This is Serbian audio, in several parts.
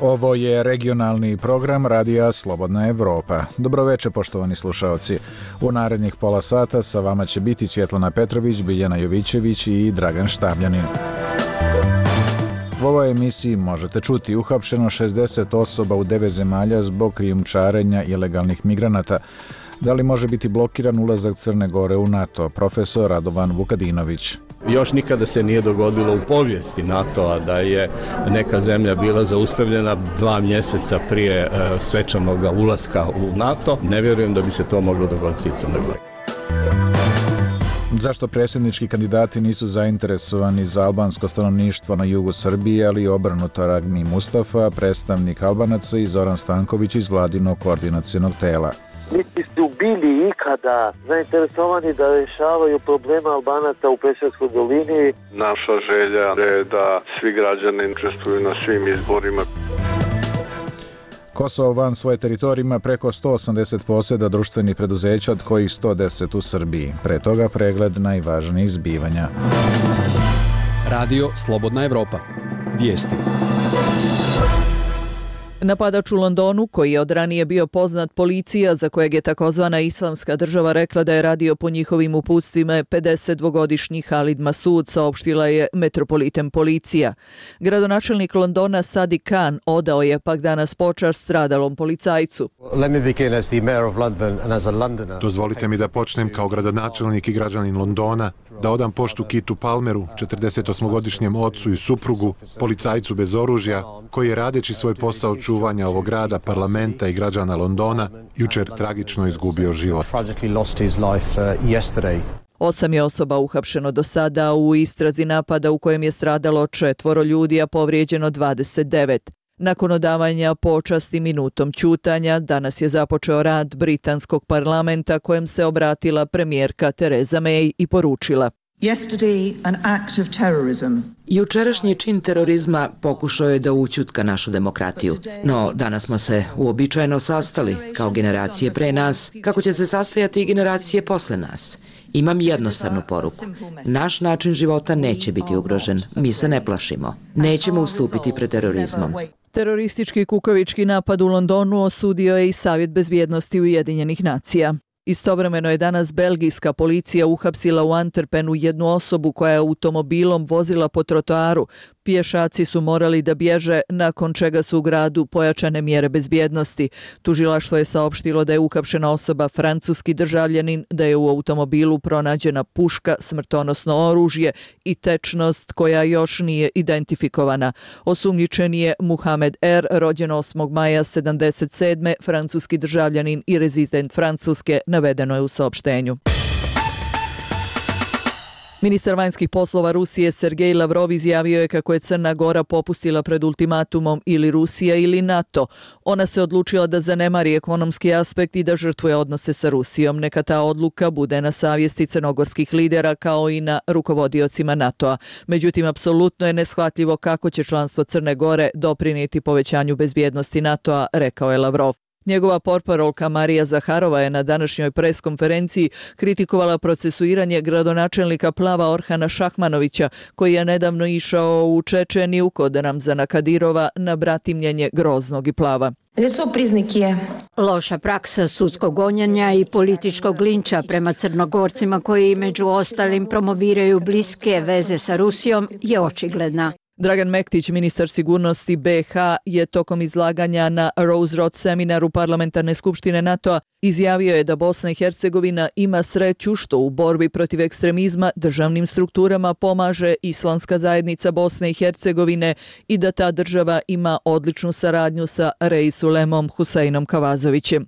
Ovo je regionalni program Radija Slobodna Evropa. Dobroveče, poštovani slušaoci. U narednih pola sata sa vama će biti Svjetlana Petrović, Biljana Jovićević i Dragan Štavljanin. U ovoj emisiji možete čuti uhapšeno 60 osoba u 9 zemalja zbog krijumčarenja ilegalnih migranata. Da li može biti blokiran ulazak Crne Gore u NATO? Profesor Radovan Vukadinović. Još nikada se nije dogodilo u povijesti NATO-a da je neka zemlja bila zaustavljena 2 mjeseca prije svečanog ulaska u NATO. Ne vjerujem da bi se to moglo dogoditi u Crnoj Gori. Zašto predsjednički kandidati nisu zainteresovani za albansko stanovništvo na jugu Srbije, ali i obrnuto? Ragmi Mustafa, predstavnik Albanaca, i Zoran Stanković iz vladinog koordinacionog tela. Niti su bili ikada zainteresovani da rješavaju probleme Albanaca u Preševskoj dolini. Naša želja je da svi građani učestvuju na svim izborima. Kosovo van svoje teritorije ima preko 180 posjeda društvenih preduzeća, od kojih 110 u Srbiji. Pre toga pregled najvažnijih zbivanja. Radio Slobodna Evropa. Vijesti. Napadač u Londonu, koji je od ranije bio poznat policija, za kojeg je takozvana Islamska država rekla da je radio po njihovim uputstvima, je 52-godišnji Halid Masud, saopštila je Metropolitan policija. Gradonačelnik Londona Sadiq Khan odao je pak danas počast stradalom policajcu. Dozvolite mi da počnem kao gradonačelnik i građanin Londona, da odam poštu Kitu Palmeru, 48-godišnjem ocu i suprugu, policajcu bez oružja, koji je radeći svoj posao čuvanja ovog grada, parlamenta i građana Londona, jučer tragično izgubio život. 8 je osoba uhapšeno do sada u istrazi napada u kojem je stradalo 4 ljudi, a povrijeđeno 29. Nakon odavanja počasti minutom ćutanja, danas je započeo rad britanskog parlamenta, kojem se obratila premijerka Theresa May i poručila: Jučerašnji čin terorizma pokušao je da ućutka našu demokratiju, no danas smo se uobičajeno sastali kao generacije pre nas, kako će se sastajati i generacije posle nas. Imam jednostavnu poruku. Naš način života neće biti ugrožen. Mi se ne plašimo. Nećemo ustupiti pred terorizmom. Teroristički kukavički napad u Londonu osudio je i Savjet bezbjednosti Ujedinjenih nacija. Istovremeno je danas belgijska policija uhapsila u Antwerpenu jednu osobu koja je automobilom vozila po trotoaru. Pješaci su morali da bježe, nakon čega su u gradu pojačane mjere bezbjednosti. Tužilaštvo je saopštilo da je uhapšena osoba francuski državljanin, da je u automobilu pronađena puška, smrtonosno oružje i tečnost koja još nije identifikovana. Osumnjičen je Muhamed R., rođen 8. maja 1977. francuski državljanin i rezident Francuske, navedeno je u saopštenju. Ministar vanjskih poslova Rusije Sergej Lavrov izjavio je kako je Crna Gora popustila pred ultimatumom ili Rusija ili NATO. Ona se odlučila da zanemari ekonomski aspekt i da žrtvuje odnose sa Rusijom. Neka ta odluka bude na savjesti crnogorskih lidera kao i na rukovodiocima NATO-a. Međutim, apsolutno je neshvatljivo kako će članstvo Crne Gore doprinijeti povećanju bezbjednosti NATO-a, rekao je Lavrov. Njegova portparolka Marija Zaharova je na današnjoj preskonferenciji kritikovala procesuiranje gradonačelnika Plava Orhana Šahmanovića, koji je nedavno išao u Čečeniju kod Ramzana Kadirova na bratimljenje Groznog i Plava. Loša praksa sudskog gonjenja i političkog linča prema Crnogorcima koji među ostalim promoviraju bliske veze sa Rusijom je očigledna. Dragan Mektić, ministar sigurnosti BiH, je tokom izlaganja na Rose Road seminaru Parlamentarne skupštine NATO-a izjavio je da Bosna i Hercegovina ima sreću što u borbi protiv ekstremizma državnim strukturama pomaže Islamska zajednica Bosne i Hercegovine i da ta država ima odličnu saradnju sa Reisulem Huseinom Kavazovićem.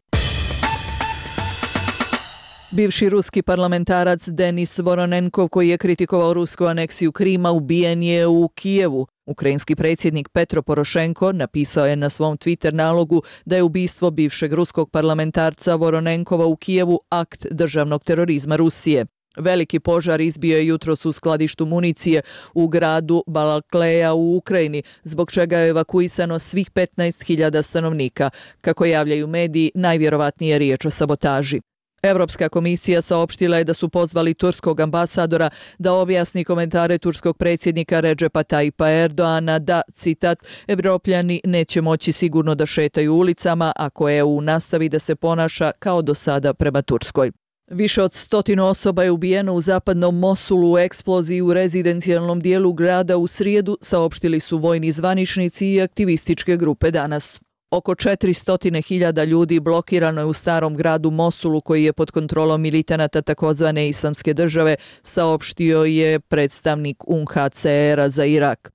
Bivši ruski parlamentarac Denis Voronenkov, koji je kritikovao rusku aneksiju Krima, ubijen je u Kijevu. Ukrajinski predsjednik Petro Porošenko napisao je na svom Twitter nalogu da je ubistvo bivšeg ruskog parlamentarca Voronenkova u Kijevu akt državnog terorizma Rusije. Veliki požar izbio je jutros u skladištu municije u gradu Balakleja u Ukrajini, zbog čega je evakuisano svih 15.000 stanovnika. Kako javljaju mediji, najvjerovatnije je riječ o sabotaži. Evropska komisija saopštila je da su pozvali turskog ambasadora da objasni komentare turskog predsjednika Redžepa Tayyipa Erdoana da, citat, Evropljani neće moći sigurno da šetaju ulicama ako EU nastavi da se ponaša kao do sada prema Turskoj. Više od 100 osoba je ubijeno u zapadnom Mosulu u eksploziji u rezidencijalnom dijelu grada u srijedu, saopštili su vojni zvaničnici i aktivističke grupe danas. Oko 400.000 ljudi blokirano je u starom gradu Mosulu koji je pod kontrolom militanata takozvane Islamske države, saopštio je predstavnik UNHCR-a za Irak.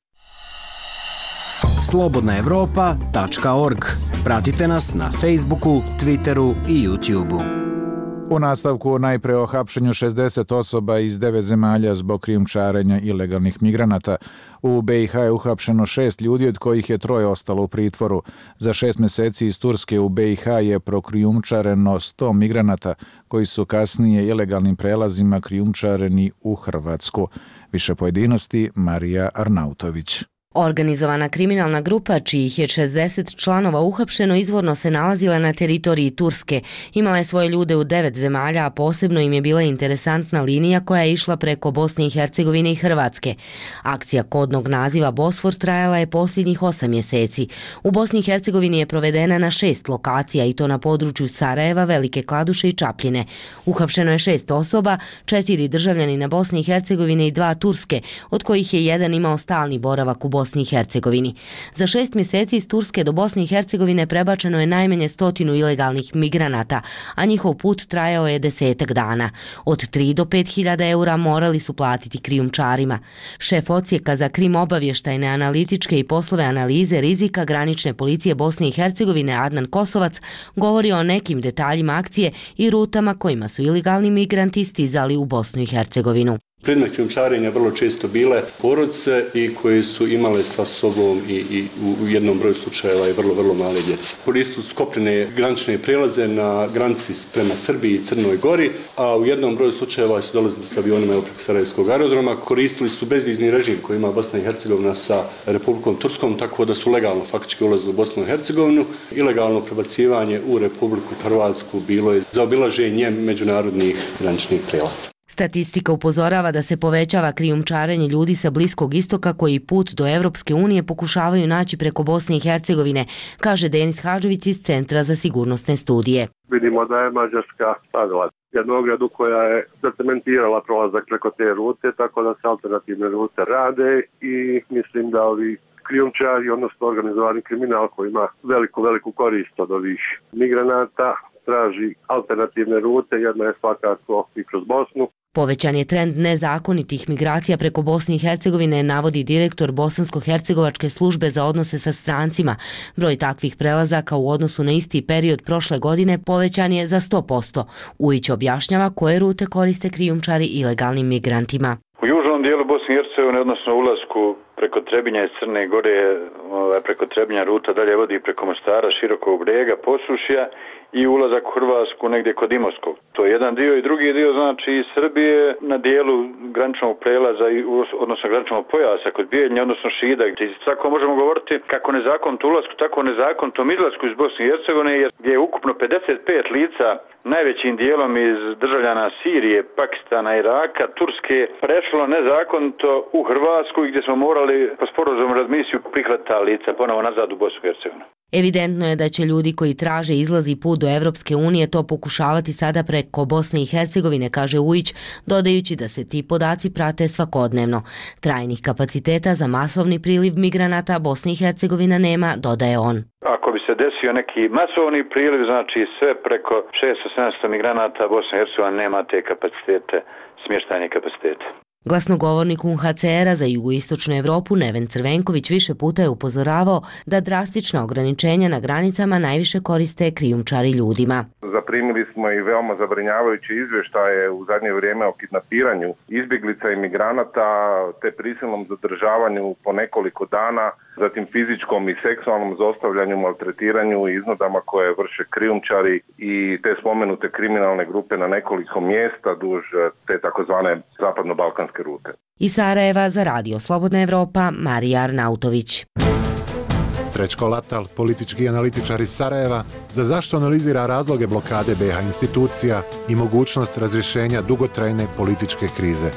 Slobodnaevropa.org. Pratite nas na Facebooku, Twitteru i YouTubeu. U nastavku najpre o hapšenju 60 osoba iz 9 zemalja zbog krijumčarenja ilegalnih migranata. U BiH je uhapšeno 6 ljudi, od kojih je 3 ostalo u pritvoru. Za 6 meseci iz Turske u BiH je prokrijumčareno 100 migranata, koji su kasnije ilegalnim prelazima krijumčareni u Hrvatsku. Više pojedinosti Marija Arnautović. Organizovana kriminalna grupa, čijih je 60 članova uhapšeno, izvorno se nalazila na teritoriji Turske. Imala je svoje ljude u 9 zemalja, a posebno im je bila interesantna linija koja je išla preko Bosne i Hercegovine i Hrvatske. Akcija kodnog naziva Bosfor trajala je posljednjih 8 mjeseci. U Bosni i Hercegovini je provedena na 6 lokacija, i to na području Sarajeva, Velike Kladuše i Čapljine. Uhapšeno je 6 osoba, 4 državljanina Bosne i Hercegovine i 2 Turske, od kojih je jedan imao stalni boravak u Bosni i Hercegovini. Za 6 mjeseci iz Turske do Bosne i Hercegovine prebačeno je najmanje 100 ilegalnih migranata, a njihov put trajao je 10 dana. Od 3 do 5.000 eura morali su platiti krijumčarima. Šef odsjeka za krim obavještajne, analitičke i poslove analize rizika granične policije Bosne i Hercegovine Adnan Kosovac govori o nekim detaljima akcije i rutama kojima su ilegalni migranti stizali u Bosnu i Hercegovinu. Predmet krijumčarenja vrlo često bile porodice i koje su imale sa sobom i u jednom broju slučajeva i vrlo male djece. Koristili su kopnene granične prijelaze na granici prema Srbiji i Crnoj Gori, a u jednom broju slučajeva su dolazili s avionima preko Sarajevskog aerodroma. Koristili su bezvizni režim koji ima Bosna i Hercegovina sa Republikom Turskom, tako da su legalno faktički ulazili u Bosnu i Hercegovinu. Ilegalno prebacivanje u Republiku Hrvatsku bilo je zaobilaženje međunarodnih graničnih prijelaza. Statistika upozorava da se povećava krijumčarenje ljudi sa Bliskog istoka koji put do Evropske unije pokušavaju naći preko Bosne i Hercegovine, kaže Denis Hadžović iz Centra za sigurnosne studije. Vidimo da je Mađarska stavila jednu ogradu koja je zacementirala prolazak preko te rute, tako da se alternativne rute rade i mislim da ovi krijumčari, odnosno organizovani kriminal koji ima veliku korist od ovih migranata, traži alternativne rute, jedna je svakako i kroz Bosnu. Povećan je trend nezakonitih migracija preko Bosne i Hercegovine, navodi direktor Bosansko-hercegovačke službe za odnose sa strancima. Broj takvih prelazaka u odnosu na isti period prošle godine povećan je za 100%. Ujić objašnjava koje rute koriste krijumčari ilegalnim migrantima. U južnom dijelu Bosne i Hercegovine, odnosno ulasku preko Trebinja iz Crne Gore, preko Trebinja ruta dalje vodi preko Mostara, Širokog Brega, Posušja i ulazak u Hrvatsku negdje kod Imotskog. To je jedan dio i drugi dio znači iz Srbije na dijelu graničnog prelaza, odnosno graničnog pojasa kod Bijeljnja, odnosno Šida. Tako možemo govoriti kako nezakonitom ulasku, tako nezakonitom izlasku iz Bosne i Hercegovine, jer je ukupno 55 lica, najvećim dijelom iz državljana Sirije, Pakistana, Iraka, Turske, prešlo nezakonito u Hrvatsku i gdje smo morali po sporazumu razmisiju prihvatiti ta lica ponovo nazad u Bosnu i Hercegovinu. Evidentno je da će ljudi koji traže izlaz i put do Evropske unije to pokušavati sada preko Bosne i Hercegovine, kaže Ujić, dodajući da se ti podaci prate svakodnevno. Trajnih kapaciteta za masovni priliv migranata Bosna i Hercegovina nema, dodaje on. Ako bi se desio neki masovni priliv, znači sve preko 600-700 migranata, Bosna i Hercegovina nema te kapacitete, smještajne kapacitete. Glasnogovornik UNHCR-a za jugoistočnu Evropu Neven Crvenković više puta je upozoravao da drastična ograničenja na granicama najviše koriste krijumčari ljudima. Zaprimili smo i veoma zabrinjavajuće izvještaje u zadnje vrijeme o kidnapiranju izbjeglica i migranata te prisilnom zadržavanju po nekoliko dana, zatim fizičkom i seksualnom zlostavljanju, maltretiranju i iznudama koje vrše krijumčari i te spomenute kriminalne grupe na nekoliko mjesta duž te takozvane zapadno-balkanske rute. Iz Sarajeva za Radio Slobodna Evropa, Marija Arnautović. Srećko Latal, politički analitičar iz Sarajeva, za zašto analizira razloge blokade BiH institucija i mogućnost razrješenja dugotrajne političke krize.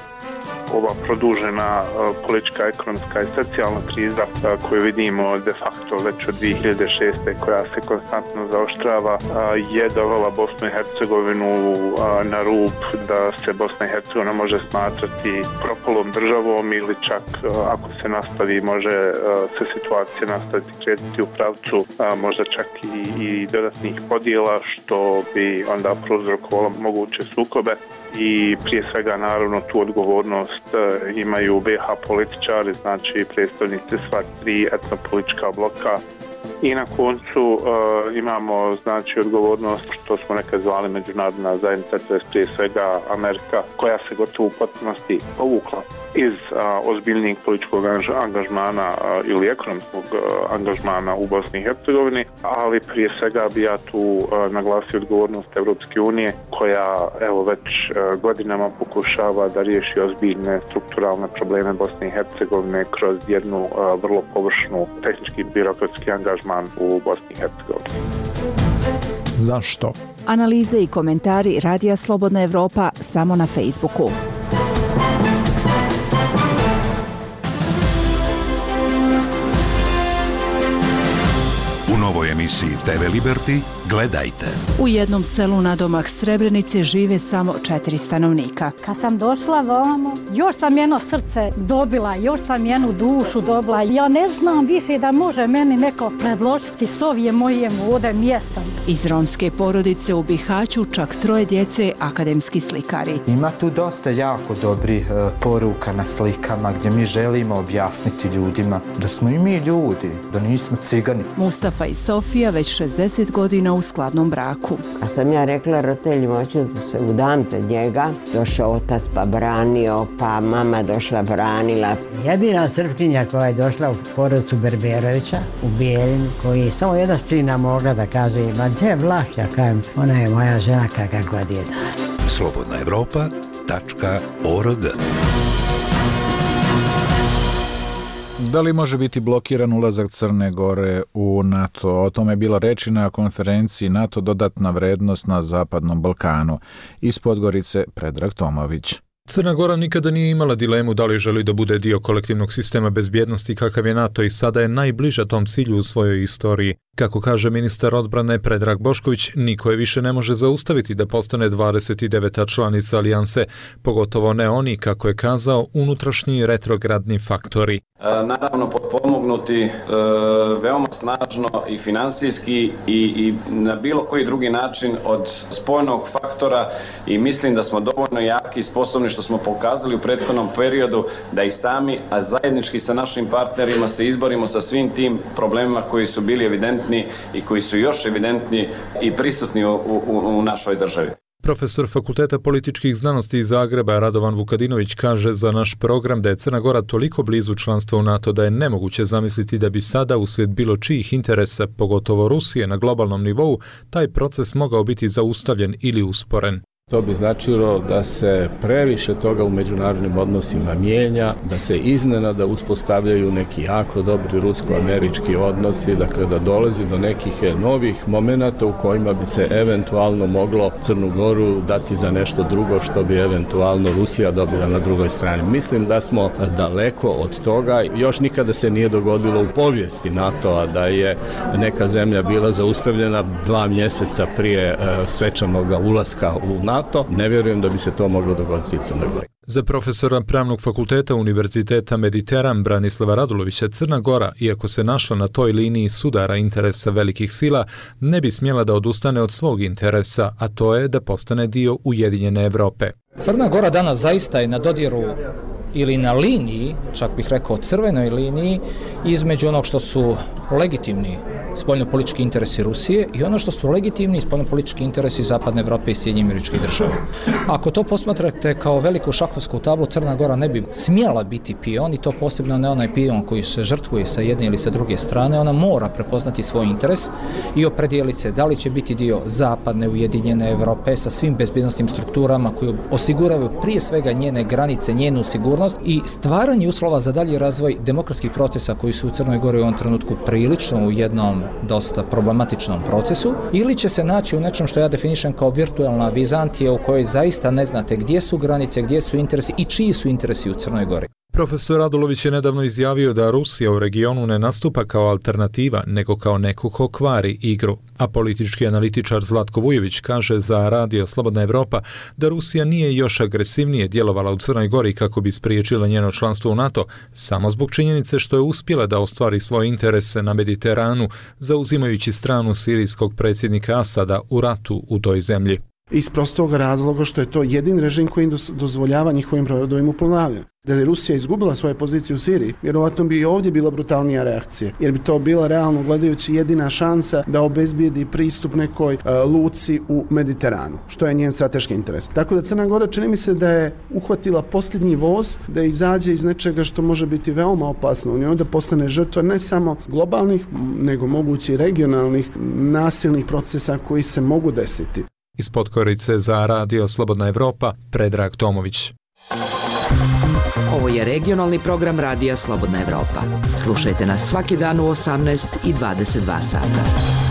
Ova produžena politička, ekonomska i socijalna kriza koju vidimo de facto već od 2006. koja se konstantno zaoštrava je dovela Bosnu i Hercegovinu na rub da se Bosna i Hercegovina može smatrati propalom državom ili čak ako se nastavi može se situacija nastaviti kretiti u pravcu možda čak i dodatnih podjela što bi onda prouzrokovalo moguće sukobe. I prije svega naravno tu odgovornost imaju BiH političari, znači predstavnici sva tri etnopolitička bloka. I na koncu imamo znači odgovornost što smo nekad zvali međunarodna zajednica, to je prije svega Amerika koja se gotovo u potpunosti povukla iz ozbiljnijeg političkog angažmana ili ekonomskog angažmana u Bosni i Hercegovini, ali prije svega bi ja tu naglasio odgovornost Evropske unije koja evo već godinama pokušava da riješi ozbiljne strukturalne probleme Bosne i Hercegovine kroz jednu vrlo površnu tehnički birokratski angažman u Bosni i Hercegovini. Zašto? Analize i komentari Radija Slobodna Evropa samo na Facebooku. U novoj emisiji TV Liberty gledajte. U jednom selu nadomak Srebrenice žive samo 4 stanovnika. Kad sam došla vamo, još sam jedno srce dobila, još sam jednu dušu dobila. Ja ne znam više da može meni neko predložiti s ovim mojim ovdje mjestom. Iz romske porodice u Bihaću čak 3 djece akademski slikari. Ima tu dosta jako dobrih poruka na slikama gdje mi želimo objasniti ljudima da smo i mi ljudi, da nismo cigani. Mustafa i Sofija već 60 godina u skladnom braku. A sam ja rekla roditeljima, hoću da se udam za njega. Došao otac pa branio, pa mama došla branila. Jedina Srpkinja koja je došla u porodicu Berberovića u Bijeljinu, koji samo jedna strina mogla da kaže, ma gdje Vlah, ja kajem, ona je moja žena kakva god je da. slobodnaevropa.org. Da li može biti blokiran ulazak Crne Gore u NATO? O tome je bila reči na konferenciji NATO dodatna vrednost na Zapadnom Balkanu. Iz Podgorice Predrag Tomović. Crna Gora nikada nije imala dilemu da li želi da bude dio kolektivnog sistema bezbjednosti kakav je NATO i sada je najbliža tom cilju u svojoj istoriji. Kako kaže ministar odbrane Predrag Bošković, niko je više ne može zaustaviti da postane 29. članica alijanse, pogotovo ne oni, kako je kazao, unutrašnji retrogradni faktori. Naravno potpomognuti veoma snažno i finansijski i na bilo koji drugi način od spoljnog faktora i mislim da smo dovoljno jaki i sposobni što smo pokazali u prethodnom periodu da i sami, a zajednički sa našim partnerima se izborimo sa svim tim problemima koji su bili evidentni i koji su još evidentni i prisutni u našoj državi. Profesor Fakulteta političkih znanosti iz Zagreba Radovan Vukadinović kaže za naš program da je Crna Gora toliko blizu članstva u NATO da je nemoguće zamisliti da bi sada uslijed bilo čijih interesa, pogotovo Rusije na globalnom nivou, taj proces mogao biti zaustavljen ili usporen. To bi značilo da se previše toga u međunarodnim odnosima mijenja, da se iznenada uspostavljaju neki jako dobri rusko-američki odnosi, dakle da dolazi do nekih novih momenata u kojima bi se eventualno moglo Crnu Goru dati za nešto drugo što bi eventualno Rusija dobila na drugoj strani. Mislim da smo daleko od toga. Još nikada se nije dogodilo u povijesti NATO-a da je neka zemlja bila zaustavljena 2 mjeseca prije svečanog ulaska u NATO. Ne vjerujem da bi se to moglo dogoditi u Crnoj Gori. Za profesora Pravnog fakulteta Univerziteta Mediteran Branislava Radulovića, Crna Gora, iako se našla na toj liniji sudara interesa velikih sila, ne bi smjela da odustane od svog interesa, a to je da postane dio Ujedinjene Evrope. Crna Gora danas zaista je na dodiru ili na liniji, čak bih rekao crvenoj liniji, između onog što su legitimni spoljnopolitički interesi Rusije i ono što su legitimni spoljnopolitički interesi Zapadne Evrope i Sjedinjenih Američkih Država. Ako to posmatrate kao veliku šahovsku tablu, Crna Gora ne bi smjela biti pion, i to posebno ne onaj pion koji se žrtvuje sa jedne ili sa druge strane. Ona mora prepoznati svoj interes i opredijeliti se da li će biti dio Zapadne ujedinjene Evrope sa svim bezbjednostnim strukturama koji osiguravaju prije svega njene granice, njenu sigurnost i stvaranje uslova za dalji razvoj demokratskih procesa koji su u Crnoj Gori u ovom trenutku prilično u jednom dosta problematičnom procesu, ili će se naći u nečem što ja definišem kao virtualna Vizantija u kojoj zaista ne znate gdje su granice, gdje su interesi i čiji su interesi u Crnoj Gori. Profesor Radulović je nedavno izjavio da Rusija u regionu ne nastupa kao alternativa, nego kao neko ko kvari igru. A politički analitičar Zlatko Vujović kaže za Radio Slobodna Evropa da Rusija nije još agresivnije djelovala u Crnoj Gori kako bi spriječila njeno članstvo u NATO, samo zbog činjenice što je uspjela da ostvari svoje interese na Mediteranu, zauzimajući stranu sirijskog predsjednika Asada u ratu u toj zemlji. Iz prostog razloga što je to jedini režim koji dozvoljava njihovim brodovima uplovljavanje. Da je Rusija izgubila svoje pozicije u Siriji, vjerovatno bi i ovdje bila brutalnija reakcija, jer bi to bila realno gledajući jedina šansa da obezbijedi pristup nekoj luci u Mediteranu, što je njen strateški interes. Tako da Crna Gora čini mi se da je uhvatila posljednji voz, da izađe iz nečega što može biti veoma opasno. U njoj da postane žrtva ne samo globalnih, nego mogući regionalnih nasilnih procesa koji se mogu desiti. Iz Podgorice za Radio Slobodna Evropa, Predrag Tomović. Ovo je regionalni program Radija Slobodna Evropa. Slušajte nas svaki dan u 18 i 22 sata.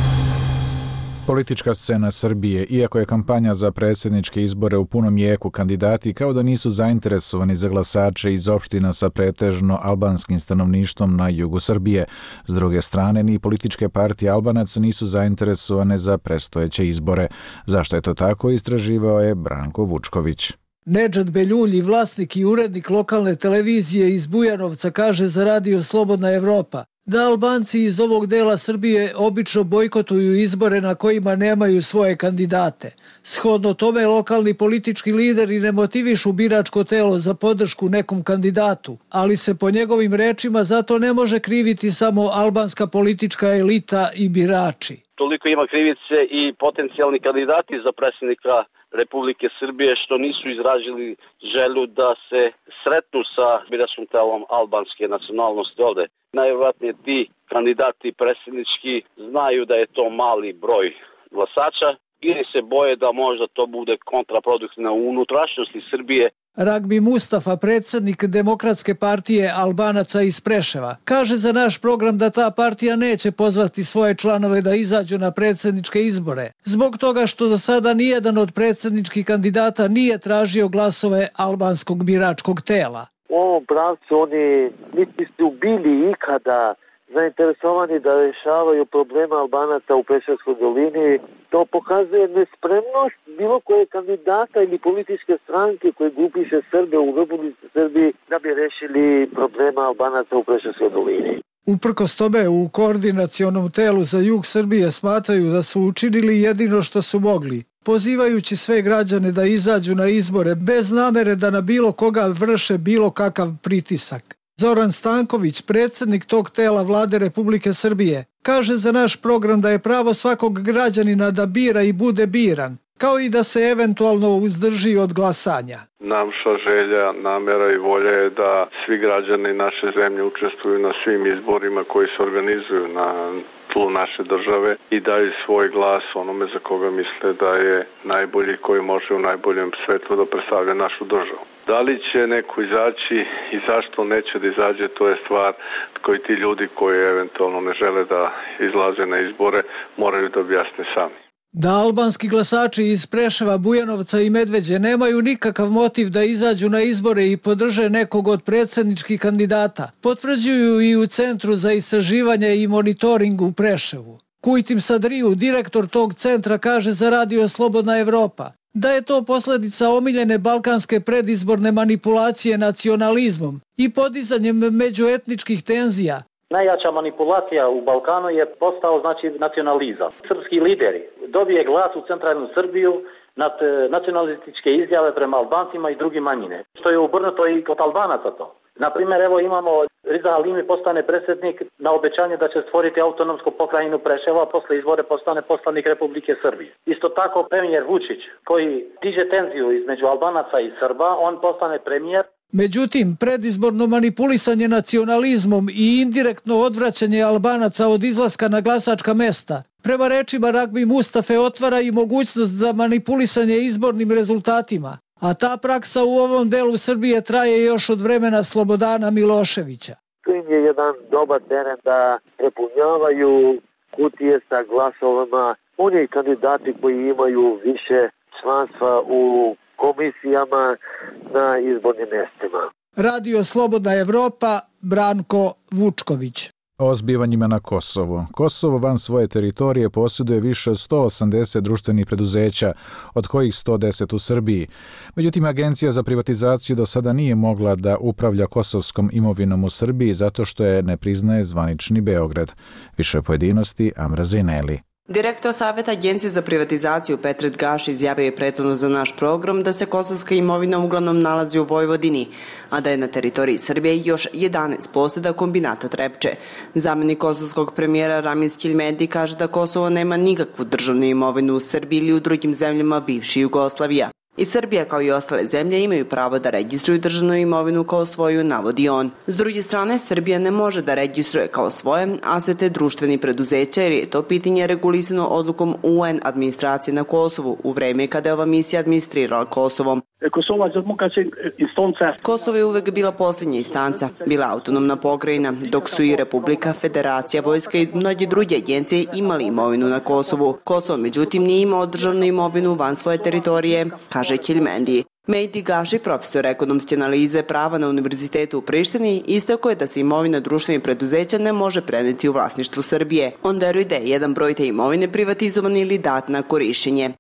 Politička scena Srbije, iako je kampanja za predsjedničke izbore u punom jeku, kandidati kao da nisu zainteresovani za glasače iz opština sa pretežno albanskim stanovništvom na jugu Srbije. S druge strane, ni političke partije Albanaca nisu zainteresovane za predstojeće izbore. Zašto je to tako, istraživao je Branko Vučković. Nedžad Beljulji, vlasnik i urednik lokalne televizije iz Bujanovca, kaže za Radio Slobodna Evropa da Albanci iz ovog dela Srbije obično bojkotuju izbore na kojima nemaju svoje kandidate. Shodno tome, lokalni politički lideri ne motivišu biračko telo za podršku nekom kandidatu, ali se po njegovim rečima zato ne može kriviti samo albanska politička elita i birači. Toliko ima krivice i potencijalni kandidati za predsjednika Republike Srbije što nisu izražili želju da se sretnu sa biračkim telom albanske nacionalnosti ovde. Najvjerojatnije ti kandidati predsjednički znaju da je to mali broj glasača ili se boje da možda to bude kontraproduktivno u unutrašnjosti Srbije. Ragbi Mustafa, predsjednik Demokratske partije Albanaca iz Preševa, kaže za naš program da ta partija neće pozvati svoje članove da izađu na predsjedničke izbore, zbog toga što do sada nijedan od predsjedničkih kandidata nije tražio glasove albanskog biračkog tela. U ovom pravcu oni niti su bili ikada zainteresovani da rješavaju problema Albanaca u Preševskoj dolini. To pokazuje nespremnost bilo koje kandidata ili političke stranke koje grupiše Srbe u Republici Srbiji da bi rešili problema Albanaca u Preševskoj dolini. Uprkos tome, u koordinacionom telu za jug Srbije smatraju da su učinili jedino što su mogli, pozivajući sve građane da izađu na izbore bez namere da na bilo koga vrše bilo kakav pritisak. Zoran Stanković, predsjednik tog tela Vlade Republike Srbije, kaže za naš program da je pravo svakog građanina da bira i bude biran, kao i da se eventualno uzdrži od glasanja. Naša želja, namjera i volja je da svi građani naše zemlje učestvuju na svim izborima koji se organizuju na tlu naše države i daju svoj glas onome za koga misle da je najbolji, koji može u najboljem svetlu da predstavlja našu državu. Da li će neko izaći i zašto neće da izađe, to je stvar koji ti ljudi koji eventualno ne žele da izlaze na izbore moraju da objasne sami. Da albanski glasači iz Preševa, Bujanovca i Medveđe nemaju nikakav motiv da izađu na izbore i podrže nekog od predsjedničkih kandidata, potvrđuju i u Centru za istraživanje i monitoring u Preševu. Kujtim Sadriju, direktor tog centra, kaže za Radio Slobodna Evropa da je to posljedica omiljene balkanske predizborne manipulacije nacionalizmom i podizanjem međuetničkih tenzija. Najjača manipulacija u Balkanu je postao nacionalizam. Srpski lideri dobije glas u centralnu Srbiju nad nacionalističke izjave prema Albancima i drugi manjine. Što je obrnuto i kod Albanaca to. Na primjer, evo imamo Riza Halimi postane predsjednik na obećanje da će stvoriti autonomsku pokrajinu Preševa, a posle izbore postane poslanik Republike Srbije. Isto tako premijer Vučić koji diže tenziju između Albanaca i Srba, on postane premijer. Međutim, predizborno manipulisanje nacionalizmom i indirektno odvraćanje Albanaca od izlaska na glasačka mesta, prema rečima Ragbi Mustafe, otvara i mogućnost za manipulisanje izbornim rezultatima, a ta praksa u ovom delu Srbije traje još od vremena Slobodana Miloševića. To im je jedan dobar teren da prepunjavaju kutije sa glasovima. Oni kandidati koji imaju više članstva u komisijama na izbornim mjestima. Radio Slobodna Evropa, Branko Vučković. O zbivanjima na Kosovu. Kosovo van svoje teritorije posjeduje više od 180 društvenih preduzeća, od kojih 110 u Srbiji. Međutim, Agencija za privatizaciju do sada nije mogla da upravlja kosovskom imovinom u Srbiji zato što je ne priznaje zvanični Beograd. Više pojedinosti Amra Zineli. Direktor Saveta Agencije za privatizaciju Petret Gaš izjavio je prethodno za naš program da se kosovska imovina uglavnom nalazi u Vojvodini, a da je na teritoriji Srbije još 11 posjeda kombinata Trepče. Zamenik kosovskog premijera Ramiz Keljmedi kaže da Kosovo nema nikakvu državnu imovinu u Srbiji ili u drugim zemljama bivše Jugoslavija. I Srbija kao i ostale zemlje imaju pravo da registruju državnu imovinu kao svoju, navodi on. S druge strane, Srbija ne može da registruje kao svoje asete društveni preduzeća jer je to pitanje regulisano odlukom UN administracije na Kosovu u vreme kada je ova misija administrirala Kosovom. Kosovo je uvek bila posljednja instanca, bila autonomna pokrajina, dok su i Republika, Federacija, Vojska i mnoge druge agencije imali imovinu na Kosovu. Kosovo, međutim, nije imao državnu imovinu van svoje teritorije, kaže Keljmendi. Mejdi Gaši, profesor ekonomske analize prava na Univerzitetu u Prištini, istakao je da se imovina društvenih preduzeća ne može preneti u vlasništvu Srbije. On veruje da je jedan broj te imovine privatizovan ili dat na korišćenje.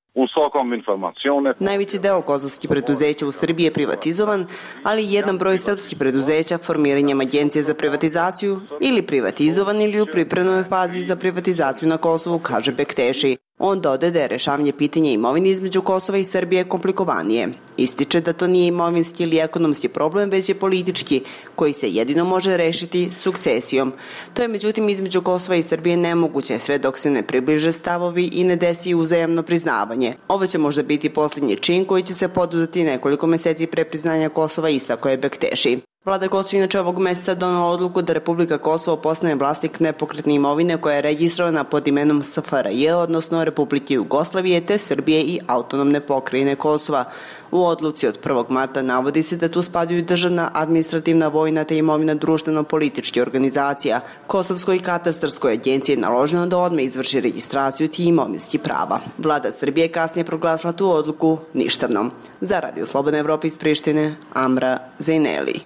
Najveći deo kosovskih preduzeća u Srbiji je privatizovan, ali jedan broj srpskih preduzeća formiranjem Agencije za privatizaciju ili privatizovan ili u pripremnoj fazi za privatizaciju na Kosovu, kaže Bekteši. On dodaje da je rešavanje pitanja imovine između Kosova i Srbije komplikovanije. Ističe da to nije imovinski ili ekonomski problem, već je politički, koji se jedino može rešiti sukcesijom. To je međutim između Kosova i Srbije nemoguće sve dok se ne približe stavovi i ne desi uzajamno priznavanje. Ovo će možda biti posljednji čin koji će se poduzeti nekoliko meseci pre priznanja Kosova, istakao je Bekteši. Vlada Kosova inače ovog meseca donela odluku da Republika Kosovo postane vlasnik nepokretne imovine koja je registrovana pod imenom SFRJ, odnosno Republike Jugoslavije, te Srbije i autonomne pokrajine Kosova. U odluci od 1. marta navodi se da tu spadaju državna, administrativna, vojna te imovina društveno-političke organizacija. Kosovskoj i katastarskoj agenciji je naloženo da odmah izvrši registraciju tih imovinskih prava. Vlada Srbije kasnije proglasila tu odluku ništavnom. Za Radio Slobodna Evropa iz Prištine, Amra Zineli.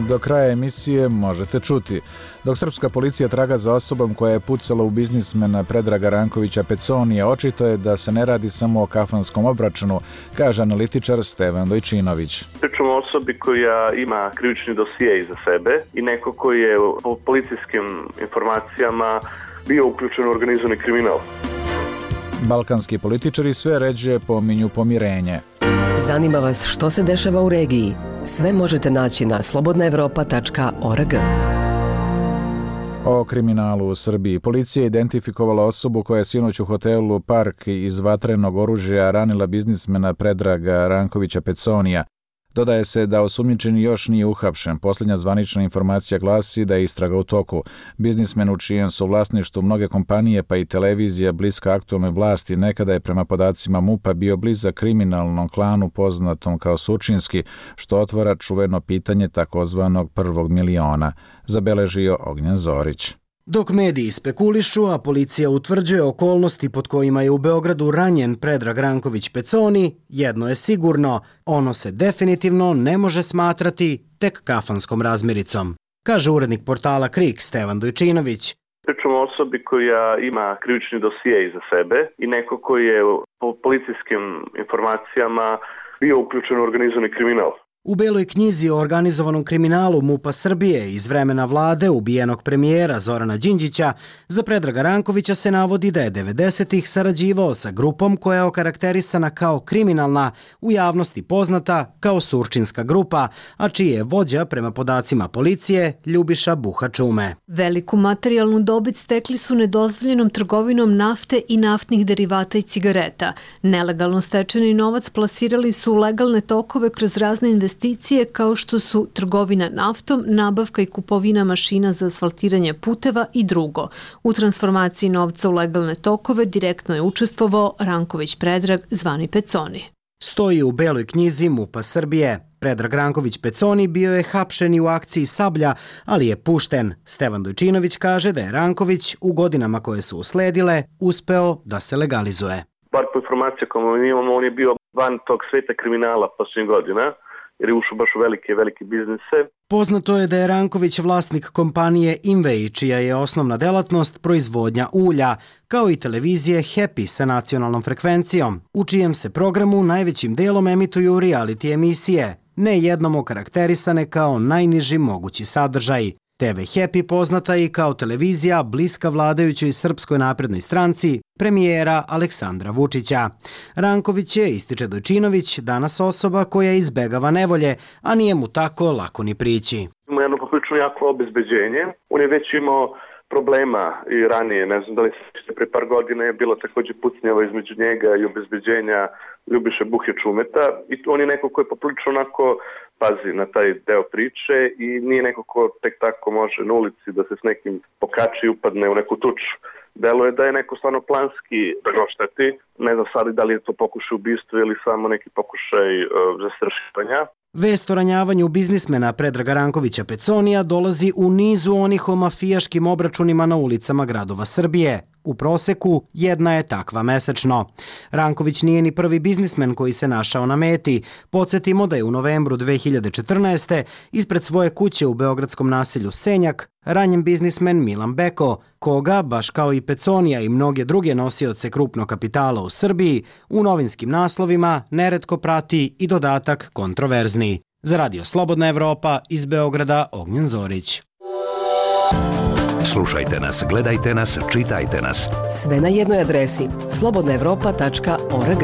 Do kraja emisije možete čuti. Dok srpska policija traga za osobom koja je pucala u biznismena Predraga Rankovića Peconija, očito je da se ne radi samo o kafanskom obračunu, kaže analitičar Stevan Dojčinović. Pričamo o osobi koja ima krivični dosije iza sebe i neko koji je po policijskim informacijama bio uključen u organizovani kriminal. Balkanski političari sve ređe pominju pomirenje. Zanima vas što se dešava u regiji? Sve možete naći na slobodnaevropa.org. O kriminalu u Srbiji. Policija je identifikovala osobu koja je sinoć u hotelu Park iz vatrenog oružja ranila biznismena Predraga Rankovića Peconija. Dodaje se da osumnjičeni još nije uhapšen. Posljednja zvanična informacija glasi da je istraga u toku. Biznismen u čijem su vlasništvu mnoge kompanije pa i televizija bliska aktualnoj vlasti nekada je prema podacima MUP-a bio blizak kriminalnom klanu poznatom kao Surčinski, što otvara čuveno pitanje takozvanog prvog miliona, zabeležio Ognjen Zorić. Dok mediji spekulišu, a policija utvrđuje okolnosti pod kojima je u Beogradu ranjen Predrag Ranković Peconi, jedno je sigurno, ono se definitivno ne može smatrati tek kafanskom razmiricom, kaže urednik portala KRIK Stevan Dojčinović. Pričamo o osobi koja ima krivični dosije iza sebe i neko koji je po policijskim informacijama bio uključen u organizovani kriminal. U Beloj knjizi o organizovanom kriminalu MUP-a Srbije iz vremena vlade ubijenog premijera Zorana Đinđića za Predraga Rankovića se navodi da je 90-ih sarađivao sa grupom koja je okarakterisana kao kriminalna, u javnosti poznata kao Surčinska grupa, a čiji je vođa, prema podacima policije, Ljubiša Buha-Čume. Veliku materijalnu dobit stekli su nedozvoljenom trgovinom nafte i naftnih derivata i cigareta. Nelegalno stečeni novac plasirali su u legalne tokove kroz razne investicije kao što su trgovina naftom, nabavka i kupovina mašina za asfaltiranje puteva i drugo. U transformaciji novca u legalne tokove direktno je učestvovao Ranković Predrag, zvani Peconi. Stoji u Beloj knjizi MUP-a Srbije. Predrag Ranković Peconi bio je hapšen i u akciji Sablja, ali je pušten. Stevan Dojčinović kaže da je Ranković u godinama koje su usledile uspeo da se legalizuje. Bar po informacija koju imamo, on je bio van tog sveta kriminala posljednjih godina, jer je ušao baš u velike biznise. Poznato je da je Ranković vlasnik kompanije Invej, čija je osnovna delatnost proizvodnja ulja, kao i televizije Happy sa nacionalnom frekvencijom, u čijem se programu najvećim delom emituju reality emisije, ne jednom okarakterisane kao najniži mogući sadržaj. TV Happy poznata i kao televizija bliska vladajućoj Srpskoj naprednoj stranci, premijera Aleksandra Vučića. Ranković je, ističe Dojčinović, danas osoba koja izbegava nevolje, a nije mu tako lako ni prići. Ima jedno poprilično jako obezbeđenje. On je već imao problema i ranije, ne znam da li se pre par godina je bilo također pucnjava između njega i obezbeđenja Ljubiše Buhe-Čumeta i on je neko ko je poprilično onako pazi na taj deo priče i nije neko ko tek tako može na ulici da se s nekim pokači i upadne u neku tuču. Delo je da je neko stvarno planski da ga ošteti. Ne znam sad da li je to pokušaj ubistva ili samo neki pokušaj zastrašivanja. Vest o ranjavanju biznismena Predraga Rankovića Peconija dolazi u nizu onih o mafijaškim obračunima na ulicama gradova Srbije. U proseku jedna je takva mesečno. Ranković nije ni prvi biznismen koji se našao na meti. Podsjetimo da je u novembru 2014. ispred svoje kuće u beogradskom naselju Senjak ranjen biznismen Milan Beko, koga, baš kao i Peconija i mnoge druge nosioce krupnog kapitala u Srbiji, u novinskim naslovima neretko prati i dodatak kontroverzni. Za Radio Slobodna Evropa iz Beograda, Ognjen Zorić. Slušajte nas, gledajte nas, čitajte nas. Sve na jednoj adresi slobodnaevropa.org.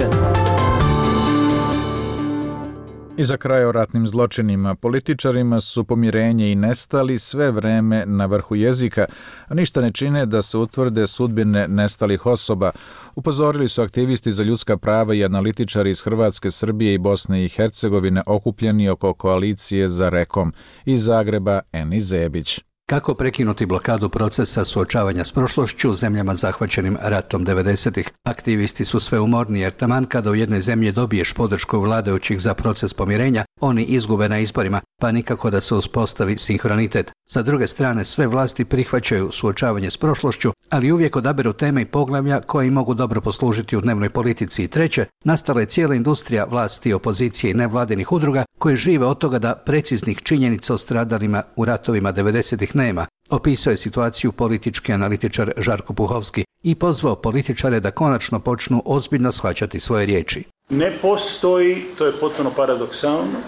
I za kraj o ratnim zločinima. Političarima su pomirenje i nestali sve vreme na vrhu jezika, a ništa ne čine da se utvrde sudbine nestalih osoba. Upozorili su aktivisti za ljudska prava i analitičari iz Hrvatske, Srbije i Bosne i Hercegovine okupljeni oko koalicije za Rekom. Iz Zagreba, Eni Zebić. Kako prekinuti blokadu procesa suočavanja s prošlošću u zemljama zahvaćenim ratom 90-ih? Aktivisti su sve umorni jer taman kada u jednoj zemlji dobiješ podršku vladajućih za proces pomirenja, oni izgube na izborima, pa nikako da se uspostavi sinhronitet. Sa druge strane, sve vlasti prihvaćaju suočavanje s prošlošću, ali uvijek odaberu teme i poglavlja koji mogu dobro poslužiti u dnevnoj politici. I treće, nastala je cijela industrija vlasti, opozicije i nevladinih udruga koje žive od toga da preciznih činjenica o stradalima u ratovima 90-ih nema. Opisao je situaciju politički analitičar Žarko Puhovski i pozvao političare da konačno počnu ozbiljno shvaćati svoje riječi. Ne postoji, to je potpuno paradoksalno,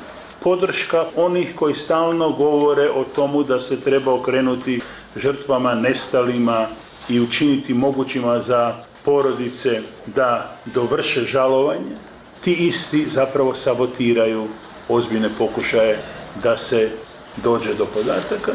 podrška onih koji stalno govore o tomu da se treba okrenuti žrtvama, nestalima i učiniti mogućima za porodice da dovrše žalovanje. Ti isti zapravo sabotiraju ozbiljne pokušaje da se dođe do podataka,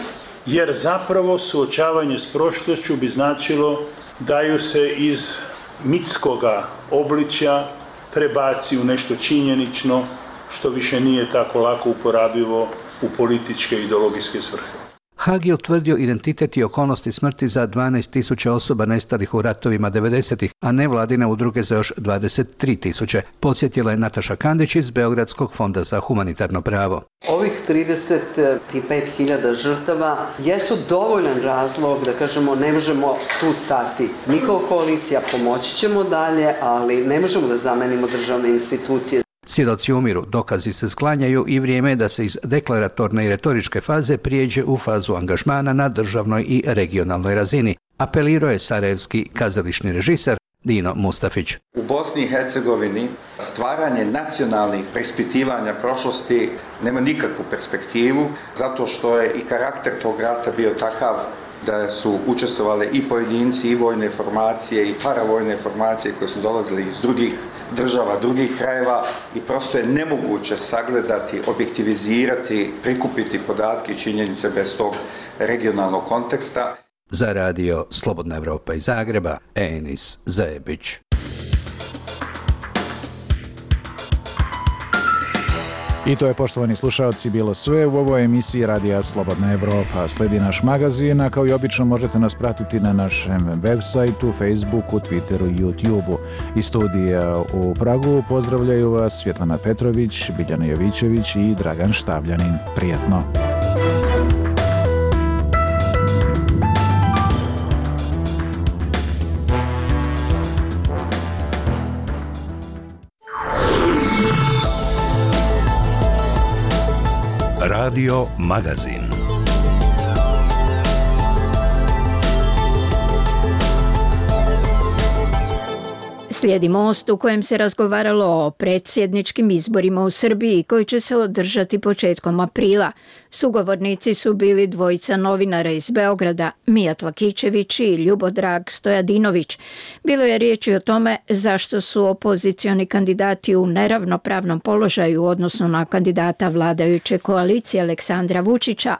jer zapravo suočavanje s prošlošću bi značilo da ju se iz mitskoga obličja prebaci u nešto činjenično, što više nije tako lako uporabivo u političke i ideologijske svrhe. Haag je utvrdio identitet i okolnosti smrti za 12.000 osoba nestalih u ratovima 90-ih, a nevladine udruge za još 23.000. Podsjetila je Nataša Kandić iz Beogradskog fonda za humanitarno pravo. Ovih 35.000 žrtava jesu dovoljan razlog da kažemo ne možemo tu stati. Mi kao koalicija pomoći ćemo dalje, ali ne možemo da zamenimo državne institucije. Svjedoci umiru, dokazi se sklanjaju i vrijeme je da se iz deklaratorne i retoričke faze prijeđe u fazu angažmana na državnoj i regionalnoj razini, apelirao je sarajevski kazališni režiser Dino Mustafić. U Bosni i Hercegovini stvaranje nacionalnih preispitivanja prošlosti nema nikakvu perspektivu, zato što je i karakter tog rata bio takav da su učestvovali i pojedinci i vojne formacije i paravojne formacije koje su dolazili iz drugih država, drugih krajeva i prosto je nemoguće sagledati, objektivizirati, prikupiti podatke i činjenice bez tog regionalnog konteksta. Za radio Slobodna Evropa iz Zagreba, Enis Zajebić. I to je, poštovani slušaoci, bilo sve u ovoj emisiji Radija Slobodna Evropa. Sledi naš magazin, a kao i obično možete nas pratiti na našem web sajtu, Facebooku, Twitteru i YouTubeu. Iz studija u Pragu pozdravljaju vas Svjetlana Petrović, Biljana Jovićević i Dragan Štavljanin. Prijetno! Radio Magazin. Slijedi Most u kojem se razgovaralo o predsjedničkim izborima u Srbiji koji će se održati početkom aprila. Sugovornici su bili dvojica novinara iz Beograda, Mijat Lakićević i Ljubodrag Stojadinović. Bilo je riječi o tome zašto su opozicioni kandidati u neravnopravnom položaju u odnosu na kandidata vladajuće koalicije Aleksandra Vučića.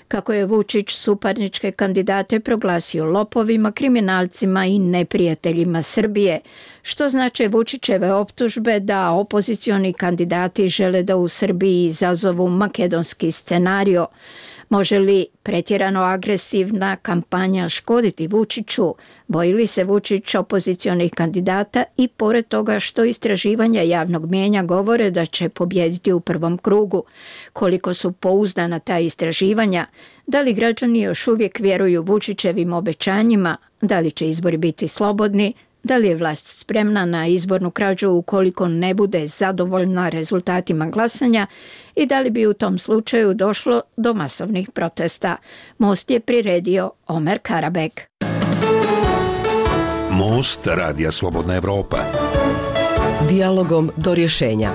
Kako je Vučić suparničke kandidate proglasio lopovima, kriminalcima i neprijateljima Srbije, što znače Vučićeve optužbe da opozicioni kandidati žele da u Srbiji izazovu makedonski scenario. Može li pretjerano agresivna kampanja škoditi Vučiću? Boji li se Vučić opozicionih kandidata i pored toga što istraživanja javnog mijenja govore da će pobijediti u prvom krugu? Koliko su pouzdana ta istraživanja? Da li građani još uvijek vjeruju Vučićevim obećanjima? Da li će izbori biti slobodni? Da li je vlast spremna na izbornu krađu ukoliko ne bude zadovoljna rezultatima glasanja i da li bi u tom slučaju došlo do masovnih protesta? Most je priredio Omer Karabek. Most Radija Slobodna Evropa. Dijalogom do rješenja.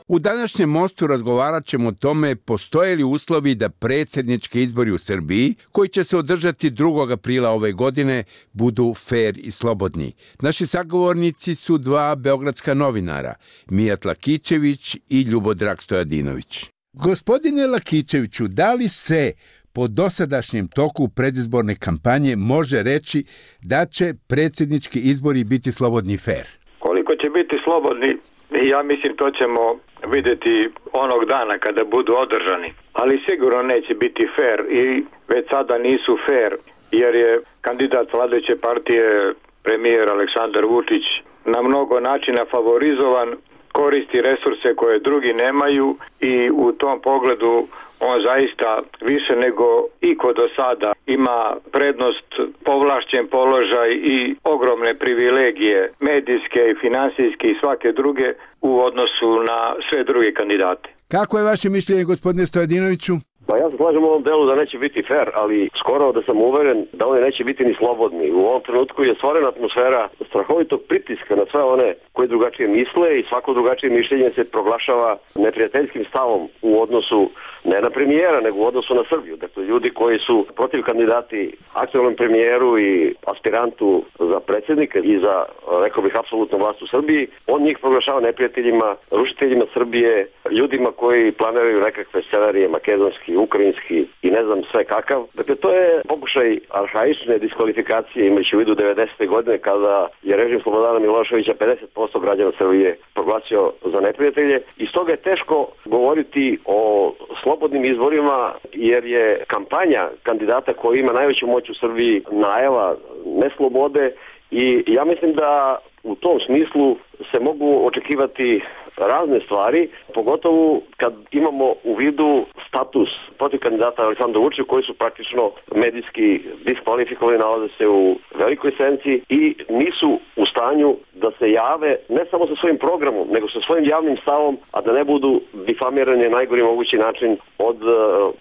U današnjem Mostu razgovarat ćemo o tome postoje li uslovi da predsjednički izbori u Srbiji, koji će se održati 2. aprila ove godine, budu fer i slobodni. Naši sagovornici su dva beogradska novinara, Mijat Lakićević i Ljubodrag Stojadinović. Gospodine Lakićeviću, da li se po dosadašnjem toku predizborne kampanje može reći da će predsjednički izbori biti slobodni i fer? Koliko će biti slobodni, ja mislim to ćemo vidjeti onog dana kada budu održani. Ali sigurno neće biti fer i već sada nisu fer jer je kandidat vladajuće partije premijer Aleksandar Vučić na mnogo načina favorizovan, koristi resurse koje drugi nemaju i u tom pogledu on zaista više nego iko do sada ima prednost, povlašćen položaj i ogromne privilegije medijske i finansijske i svake druge u odnosu na sve druge kandidate. Kako je vaše mišljenje, gospodine Stojadinoviću? Pa ja se slažem u ovom delu da neće biti fair, ali skoro da sam uveren da oni neće biti ni slobodni. U ovom trenutku je stvorena atmosfera strahovitog pritiska na sve one koji drugačije misle i svako drugačije mišljenje se proglašava neprijateljskim stavom u odnosu ne na premijera, nego u odnosu na Srbiju. Dakle, ljudi koji su protiv kandidati aktualnom premijeru i aspirantu za predsjednika i za, rekao bih, apsolutnu vlast u Srbiji, on njih proglašava neprijateljima, rušiteljima Srbije, ljudima koji planiraju nekakve scenarije makedonski, ukrajinski i ne znam sve kakav. Dakle, to je pokušaj arhaične diskvalifikacije imajući u vidu 90. godine kada je režim Slobodana Miloševića 50% građana Srbije proglasio za neprijatelje i stoga je teško govoriti o slobodnim izborima jer je kampanja kandidata koji ima najveću moć u Srbiji najava neslobode i ja mislim da u tom smislu se mogu očekivati razne stvari, pogotovo kad imamo u vidu status protiv kandidata Aleksandra Vučića koji su praktično medijski diskvalifikovani, nalaze se u velikoj senci i nisu u stanju da se jave ne samo sa svojim programom, nego sa svojim javnim stavom, a da ne budu difamirani na najgori mogući način od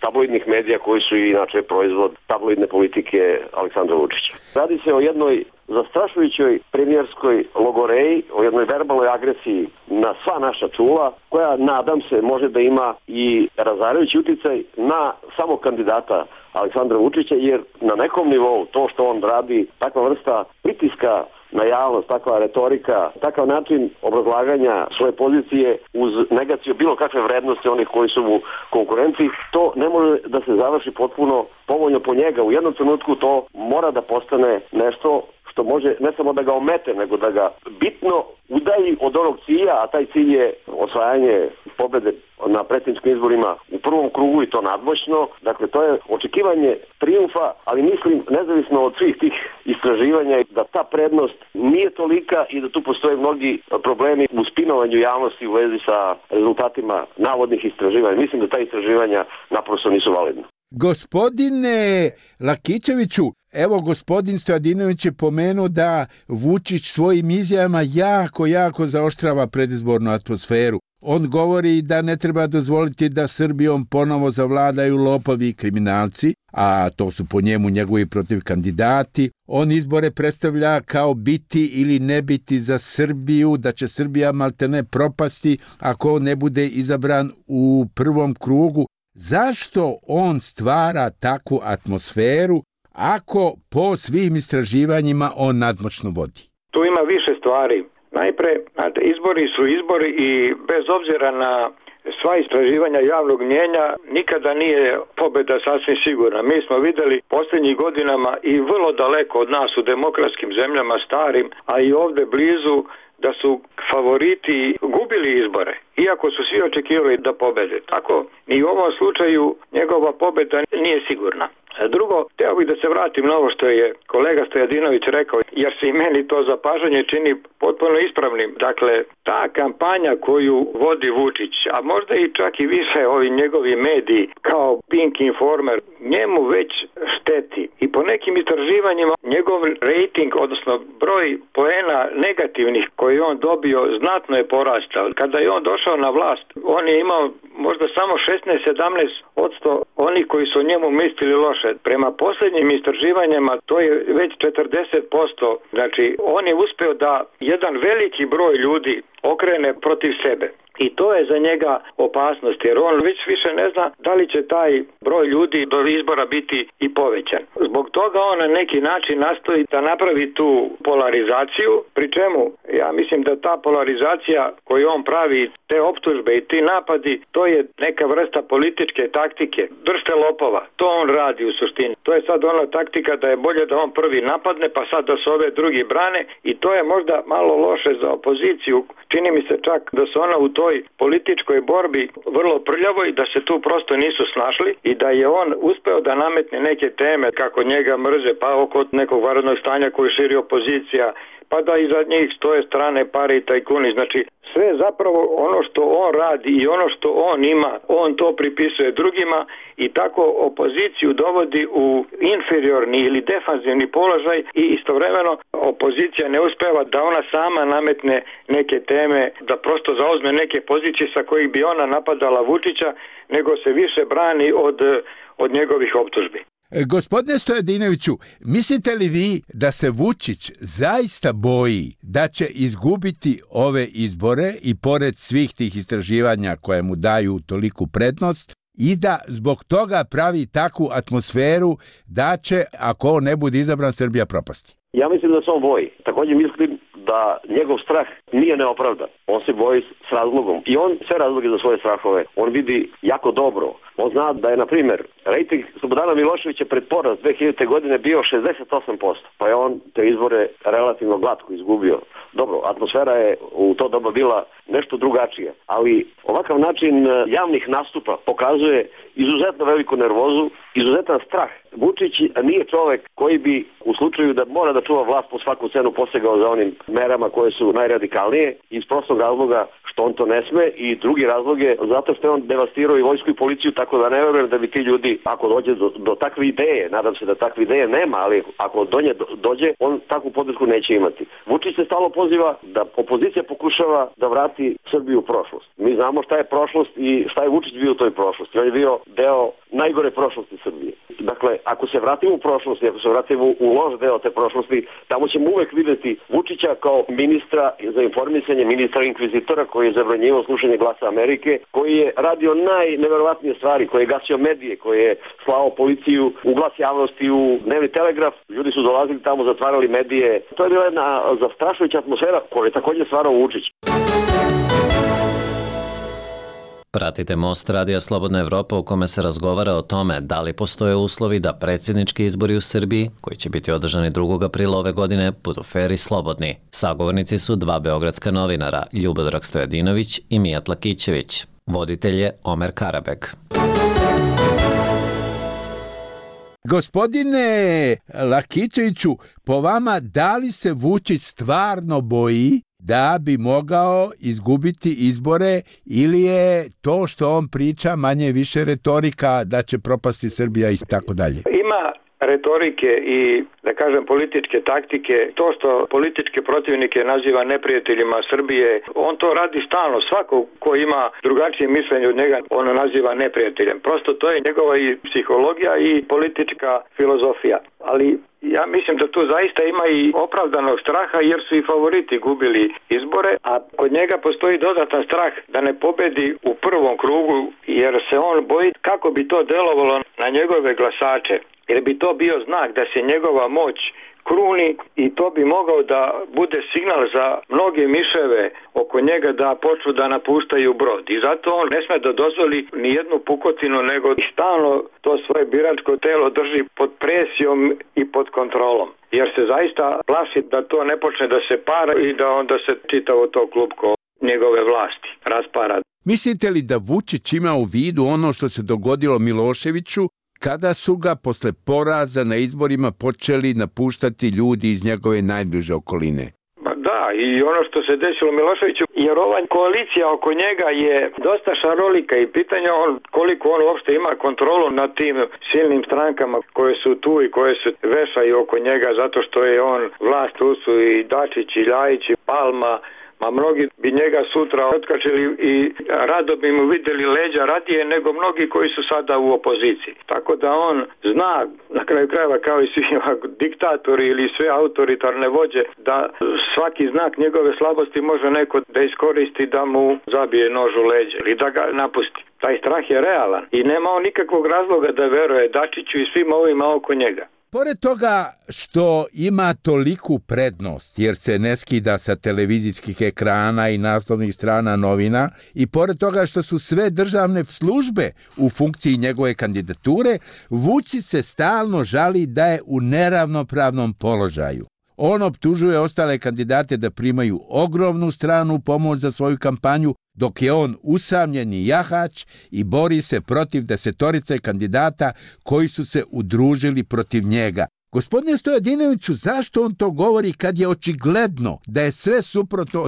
tabloidnih medija koji su inače proizvod tabloidne politike Aleksandra Vučića. Radi se o jednoj zastrašujućoj premijerskoj logoreji, o jednoj verbalnoj agresiji na sva naša čula, koja, nadam se, može da ima i razarajući uticaj na samog kandidata Aleksandra Vučića, jer na nekom nivou to što on radi, takva vrsta pritiska na javnost, takva retorika, takav način obrazlaganja svoje pozicije uz negaciju bilo kakve vrednosti onih koji su mu konkurenci, to ne može da se završi potpuno povoljno po njega. U jednom trenutku to mora da postane nešto što može ne samo da ga omete, nego da ga bitno udaji od onog cilja, a taj cilj je osvajanje pobede na predsjedničkim izborima u prvom krugu i to nadmoćno. Dakle, to je očekivanje trijumfa, ali mislim, nezavisno od svih tih istraživanja, da ta prednost nije tolika i da tu postoje mnogi problemi u spinovanju javnosti u vezi sa rezultatima navodnih istraživanja. Mislim da ta istraživanja naprosto nisu validna. Gospodine Lakićeviću, evo gospodin Stojadinović je pomenuo da Vučić svojim izjavama jako zaoštrava predizbornu atmosferu. On govori da ne treba dozvoliti da Srbijom ponovo zavladaju lopovi i kriminalci, a to su po njemu njegovi protiv kandidati. On izbore predstavlja kao biti ili ne biti za Srbiju, da će Srbija maltene propasti ako ne bude izabran u prvom krugu. Zašto on stvara takvu atmosferu ako po svim istraživanjima on nadmoćno vodi? Tu ima više stvari. Najpre, izbori su izbori i bez obzira na sva istraživanja javnog mnjenja nikada nije pobeda sasvim sigurna. Mi smo videli posljednjih godinama i vrlo daleko od nas u demokratskim zemljama starim, a i ovdje blizu, da su favoriti gubili izbore, iako su svi očekivali da pobede. Tako, ni u ovom slučaju njegova pobeda nije sigurna. Drugo, htio bih da se vratim na ovo što je kolega Stojadinović rekao, jer se i meni to zapažanje čini potpuno ispravnim. Dakle, ta kampanja koju vodi Vučić, a možda i čak i više ovi njegovi mediji kao Pink Informer, njemu već šteti. I po nekim istraživanjima njegov rating, odnosno broj poena negativnih koji on dobio, znatno je porastao. Kada je on došao na vlast, on je imao možda samo 16-17% onih koji su o njemu mislili loše. Prema posljednjim istraživanjima to je već 40%. Znači, on je uspeo da jedan veliki broj ljudi okrene protiv sebe. I to je za njega opasnost, jer on već više ne zna da li će taj broj ljudi do izbora biti i povećan. Zbog toga on na neki način nastoji da napravi tu polarizaciju, pri čemu ja mislim da ta polarizacija koju on pravi, te optužbe i ti napadi, to je neka vrsta političke taktike. Držte lopova, to on radi u suštini. To je sad ona taktika da je bolje da on prvi napadne, pa sad da se ove drugi brane, i to je možda malo loše za opoziciju. Čini mi se čak da se ona u toj političkoj borbi vrlo prljavoj, da se tu prosto nisu snašli i da je on uspeo da nametne neke teme kako njega mrze, pa oko nekog vanrednog stanja koju širi opozicija, pa da iza njih stoje strane pare i tajkuni. Znači, sve zapravo ono što on radi i ono što on ima, on to pripisuje drugima i tako opoziciju dovodi u inferiorni ili defanzivni položaj i istovremeno opozicija ne uspeva da ona sama nametne neke teme, da prosto zauzme neke pozicije sa kojih bi ona napadala Vučića, nego se više brani od njegovih optužbi. Gospodine Stojadinoviću, mislite li vi da se Vučić zaista boji da će izgubiti ove izbore i pored svih tih istraživanja koje mu daju toliku prednost i da zbog toga pravi takvu atmosferu da će, ako on ne bude izabran, Srbija propasti? Ja mislim da se on boji. Također mislim da njegov strah nije neopravdan. On se boji s razlogom. I on sve razloge za svoje strahove on vidi jako dobro. On zna da je, na primjer, rejting Slobodana Miloševića pred poraz 2000. godine bio 68%. Pa je on te izbore relativno glatko izgubio. Dobro, atmosfera je u to doba bila nešto drugačija. Ali ovakav način javnih nastupa pokazuje izuzetno veliku nervozu, izuzetan strah. Vučić nije čovek koji bi u slučaju da mora da čuva vlast po svaku cenu posegao za onim merama koje su najradikalnije, iz prostog razloga što on to ne sme, i drugi razlog je zato što je on devastirao i vojsku i policiju, tako da ne verujem da bi ti ljudi, ako dođe do takve ideje, nadam se da takve ideje nema, ali ako do nje dođe, on takvu podršku neće imati. Vučić se stalno poziva da opozicija pokušava da vrati Srbiju u prošlost. Mi znamo šta je prošlost i šta je Vučić bio u toj prošlosti. On je bio deo najgore prošlosti Srbije. Dakle, ako se vratimo u prošlost, ako se vratimo u loš deo te prošlosti, tamo ćemo uvek videti Vučića kao ministra za informisanje, ministra inkvizitora koji je zabranjivao slušanje Glasa Amerike, koji je radio najneverovatnije stvari, koji je gasio medije, koji je slao policiju u Glas javnosti, u Dnevni telegraf. Ljudi su dolazili tamo, zatvarali medije. To je bila jedna zastrašujuća atmosfera koju je također stvarao Vučić. Pratite Most Radija Slobodna Evropa u kome se razgovara o tome da li postoje uslovi da predsjednički izbori u Srbiji, koji će biti održani 2. aprila ove godine, budu fer i slobodni. Sagovornici su dva beogradska novinara, Ljubodrag Stojadinović i Mijat Lakićević. Voditelj je Omer Karabek. Gospodine Lakićeviću, po vama, da li se Vučić stvarno boji da bi mogao izgubiti izbore, ili je to što on priča manje više retorika da će propasti Srbija i tako dalje? Ima retorike i, da kažem, političke taktike. To što političke protivnike naziva neprijateljima Srbije, on to radi stalno. Svako ko ima drugačije mišljenje od njega, ono naziva neprijateljem. Prosto to je njegova i psihologija i politička filozofija. Ali ja mislim da tu zaista ima i opravdanog straha, jer su i favoriti gubili izbore, a kod njega postoji dodatan strah da ne pobedi u prvom krugu, jer se on boji kako bi to delovalo na njegove glasače. Jer bi to bio znak da se njegova moć kruni i to bi mogao da bude signal za mnoge miševe oko njega da počnu da napuštaju brod. I zato on ne sme da dozvoli ni jednu pukotinu, nego stalno to svoje biračko telo drži pod presijom i pod kontrolom. Jer se zaista plaši da to ne počne da se para i da onda se čitavo to klupko njegove vlasti raspara. Mislite li da Vučić ima u vidu ono što se dogodilo Miloševiću, kada su ga posle poraza na izborima počeli napuštati ljudi iz njegove najbliže okoline? Da, i ono što se desilo Miloševiću, jer ova koalicija oko njega je dosta šarolika i pitanje koliko on uopšte ima kontrolu nad tim silnim strankama koje su tu i koje se vešaju oko njega zato što je on vlast, tu su i Dačić i Ljajić i Palma, a mnogi bi njega sutra otkačili i rado bi mu videli leđa radije nego mnogi koji su sada u opoziciji. Tako da on zna, na kraju krajeva kao i svi diktatori ili sve autoritarne vođe, da svaki znak njegove slabosti može neko da iskoristi da mu zabije nož u leđe ili da ga napusti. Taj strah je realan i nema on nikakvog razloga da veruje Dačiću i svim ovima oko njega. Pored toga što ima toliku prednost, jer se ne skida sa televizijskih ekrana i naslovnih strana novina, i pored toga što su sve državne službe u funkciji njegove kandidature, Vučić se stalno žali da je u neravnopravnom položaju. On optužuje ostale kandidate da primaju ogromnu stranu pomoć za svoju kampanju, dok je on usamljeni jahač i bori se protiv 10 kandidata koji su se udružili protiv njega. Gospodine Stojadinoviću, zašto on to govori kad je očigledno da je sve suprotno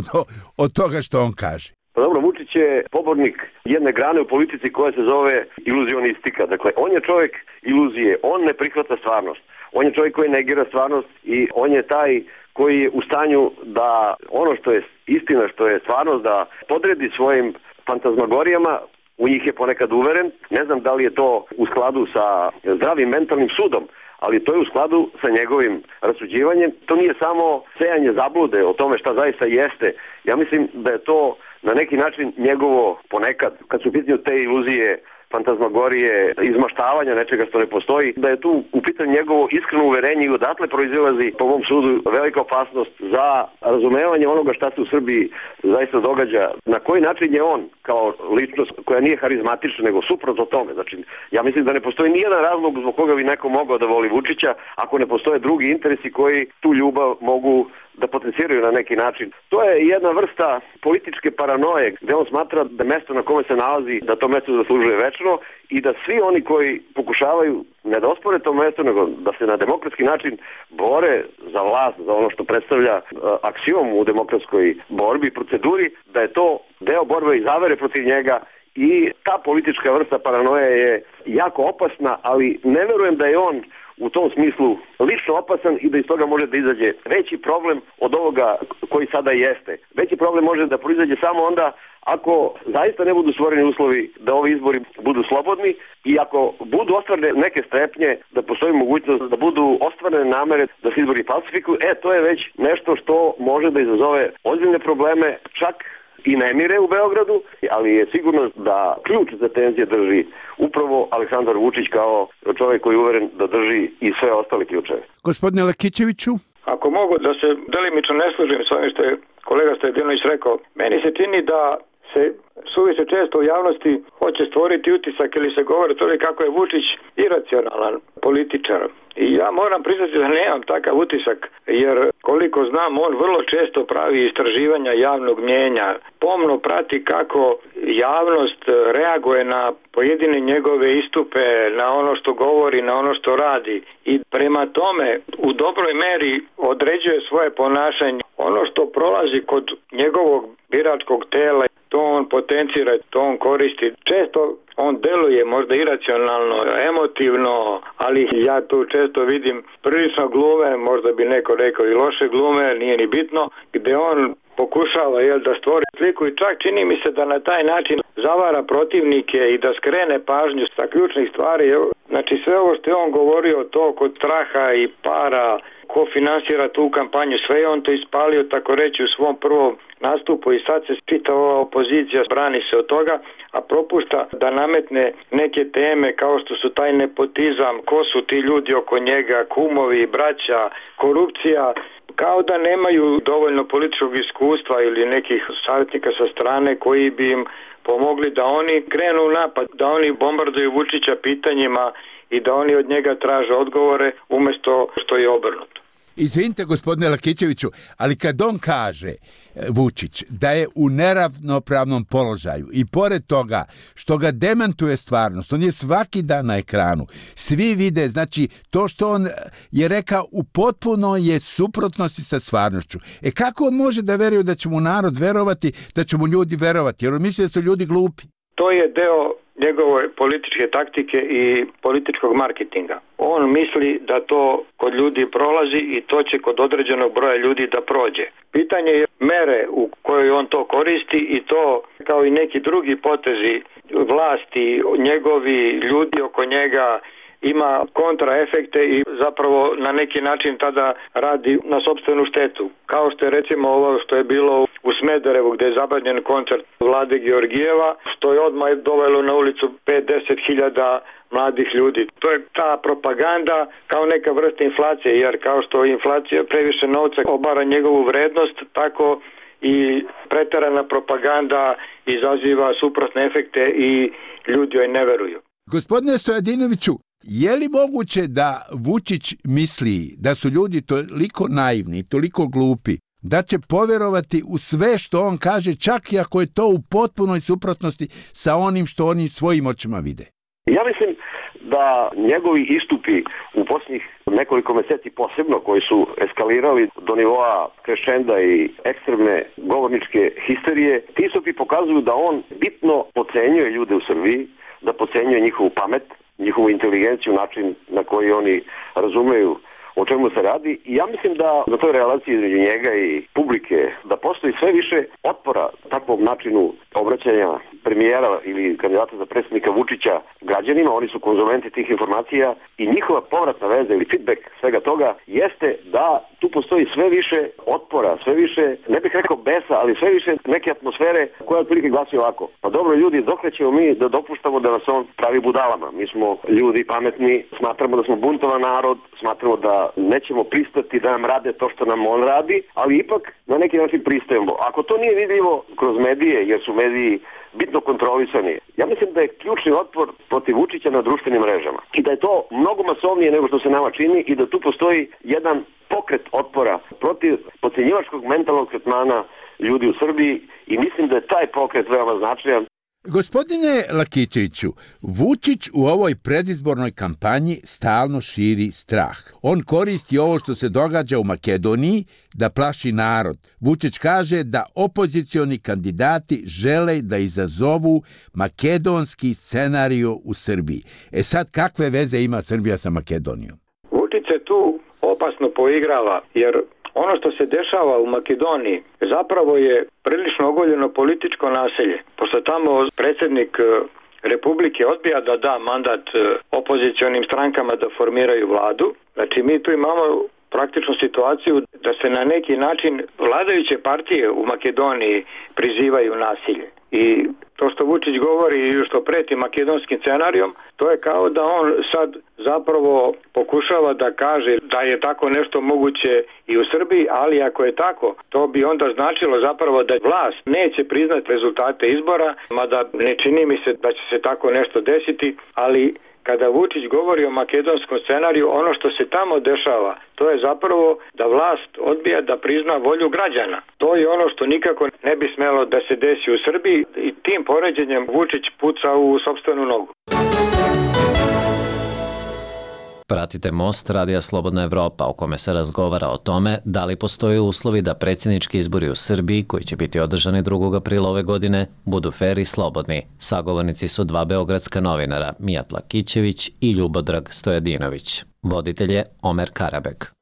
od toga što on kaže? Pa dobro, Vučić je pobornik jedne grane u politici koja se zove iluzionistika. Dakle, on je čovjek iluzije, on ne prihvata stvarnost. On je čovjek koji negira stvarnost i on je taj koji je u stanju da ono što je istina, što je stvarnost, da podredi svojim fantazmagorijama. U njih je ponekad uveren. Ne znam da li je to u skladu sa zdravim mentalnim sudom, ali to je u skladu sa njegovim rasuđivanjem. To nije samo sejanje zablude o tome šta zaista jeste. Ja mislim da je to na neki način njegovo ponekad, kad su u pitanju te iluzije, fantazmagorije, izmaštavanja nečega što ne postoji, da je tu u pitanju njegovo iskreno uverenje i odatle proizilazi po mom sudu velika opasnost za razumevanje onoga šta se u Srbiji zaista događa. Na koji način je on kao ličnost koja nije harizmatična nego suprotno tome. Znači, ja mislim da ne postoji nijedan razlog zbog koga bi neko mogao da voli Vučića ako ne postoje drugi interesi koji tu ljubav mogu da potenciraju na neki način. To je jedna vrsta političke paranoje gde on smatra da mesto na kome se nalazi, da to mesto zaslužuje večno i da svi oni koji pokušavaju ne da ospore to mesto, nego da se na demokratski način bore za vlast, za ono što predstavlja aksiom u demokratskoj borbi i proceduri, da je to deo borbe i zavere protiv njega. I ta politička vrsta paranoje je jako opasna, ali ne verujem da je on u tom smislu lično opasan i da iz toga može da izađe veći problem od ovoga koji sada jeste. Veći problem može da proizađe samo onda ako zaista ne budu stvoreni uslovi da ovi izbori budu slobodni i ako budu ostvarene neke strepnje, da postoji mogućnost da budu ostvarene namere da se izbori falsifikuju, to je već nešto što može da izazove ozbiljne probleme, čak i nemire u Beogradu, ali je sigurno da ključ za tenzije drži upravo Aleksandar Vučić kao čovjek koji je uveren da drži i sve ostale ključeve. Gospodine Lakićeviću? Ako mogu da se delimično ne služim s ovim što je kolega Stojadinović rekao, meni se čini da se suviše često u javnosti hoće stvoriti utisak ili se govori to kako je Vučić iracionalan političar. I ja moram priznati da nemam takav utisak, jer koliko znam, on vrlo često pravi istraživanja javnog mnijenja, pomno prati kako javnost reaguje na pojedine njegove istupe, na ono što govori, na ono što radi i prema tome u dobroj meri određuje svoje ponašanje. Ono što prolazi kod njegovog biračkog tela, to on potencira, to on koristi. Često on deluje možda iracionalno, emotivno, ali ja tu često vidim prilično glume, možda bi neko rekao i loše glume, nije ni bitno, gde on pokušava da stvori sliku i čak čini mi se da na taj način zavara protivnike i da skrene pažnju sa ključnih stvari. Znači sve ovo što je on govorio, to kod straha i para, ko finansira tu kampanju, sve je on to ispalio tako reći u svom prvom nastupu i sad se čitava opozicija brani se od toga, a propušta da nametne neke teme kao što su taj nepotizam, ko su ti ljudi oko njega, kumovi, braća, korupcija, kao da nemaju dovoljno političkog iskustva ili nekih savjetnika sa strane koji bi im pomogli da oni krenu u napad, da oni bombarduju Vučića pitanjima i da oni od njega traže odgovore umjesto što je obrnuto. Izvinite, gospodine Lakićeviću, ali kad on kaže, Vučić, da je u neravnopravnom položaju i pored toga što ga demantuje stvarnost, on je svaki dan na ekranu, svi vide, znači to što on je rekao u potpuno je suprotnosti sa stvarnošću. Kako on može da veruje da će mu narod verovati, da će mu ljudi verovati, jer on misli da su ljudi glupi? To je deo njegove političke taktike i političkog marketinga. On misli da to kod ljudi prolazi i to će kod određenog broja ljudi da prođe. Pitanje je mere u kojoj on to koristi i to kao i neki drugi potezi vlasti, njegovi ljudi oko njega ima kontraefekte i zapravo na neki način tada radi na sopstvenu štetu. Kao što je recimo ovo što je bilo u Smederevu gdje je zabranjen koncert Vlade Georgijeva, što je odmah dovelo na ulicu 5-10 hiljada mladih ljudi. To je ta propaganda kao neka vrsta inflacije, jer kao što inflacija previše novca obara njegovu vrednost, tako i preterana propaganda izaziva suprotne efekte i ljudi joj ne veruju. Gospodine Stojadinoviću, je li moguće da Vučić misli da su ljudi toliko naivni, toliko glupi, da će povjerovati u sve što on kaže, čak i ako je to u potpunoj suprotnosti sa onim što oni svojim očima vide? Ja mislim da njegovi istupi u posljednjih nekoliko meseci posebno, koji su eskalirali do nivoa krešenda i ekstremne govorničke histerije, ti istupi pokazuju da on bitno podcenjuje ljude u Srbiji, da podcenjuje njihovu pamet, njihovu inteligenciju, način na koji oni razumeju o čemu se radi. I ja mislim da na toj relaciji između njega i publike da postoji sve više otpora takvom načinu obraćanja premijera ili kandidata za predsjednika Vučića građanima. Oni su konzumenti tih informacija i njihova povratna veza ili feedback svega toga jeste da tu postoji sve više otpora, sve više, ne bih rekao besa, ali sve više neke atmosfere koja otprilike glasi ovako. Pa dobro ljudi, dokle ćemo mi da dopuštamo da nas on pravi budalama? Mi smo ljudi pametni, smatramo da smo buntovan narod, smatramo da nećemo pristati da nam rade to što nam on radi, ali ipak na neki način pristajemo. Ako to nije vidljivo kroz medije, jer su mediji bitno kontrolisani. Ja mislim da je ključni otpor protiv Vučića na društvenim mrežama i da je to mnogo masovnije nego što se nama čini i da tu postoji jedan pokret otpora protiv potcenjivačkog mentalnog tretmana ljudi u Srbiji i mislim da je taj pokret veoma značajan. Gospodine Lakićeviću, Vučić u ovoj predizbornoj kampanji stalno širi strah. On koristi ovo što se događa u Makedoniji da plaši narod. Vučić kaže da opozicioni kandidati žele da izazovu makedonski scenarijo u Srbiji. Sad, kakve veze ima Srbija sa Makedonijom? Vučić se tu opasno poigrava, jer ono što se dešava u Makedoniji zapravo je prilično ogoljeno političko nasilje. Pošto tamo predsjednik Republike odbija da da mandat opozicionim strankama da formiraju vladu, znači mi tu imamo praktičnu situaciju da se na neki način vladajuće partije u Makedoniji prizivaju nasilje. I to što Vučić govori i što preti makedonskim scenarijom, to je kao da on sad zapravo pokušava da kaže da je tako nešto moguće i u Srbiji, ali ako je tako, to bi onda značilo zapravo da vlast neće priznati rezultate izbora, mada ne čini mi se da će se tako nešto desiti, ali kada Vučić govori o makedonskom scenariju, ono što se tamo dešava, to je zapravo da vlast odbija da prizna volju građana. To je ono što nikako ne bi smelo da se desi u Srbiji i tim poređenjem Vučić puca u sopstvenu nogu. Pratite Most Radija Slobodna Evropa, u kome se razgovara o tome da li postoje uslovi da predsjednički izbori u Srbiji, koji će biti održani 2. aprila ove godine, budu fer i slobodni. Sagovornici su dva beogradska novinara, Mijat Lakićević i Ljubodrag Stojadinović. Voditelj je Omer Karabek.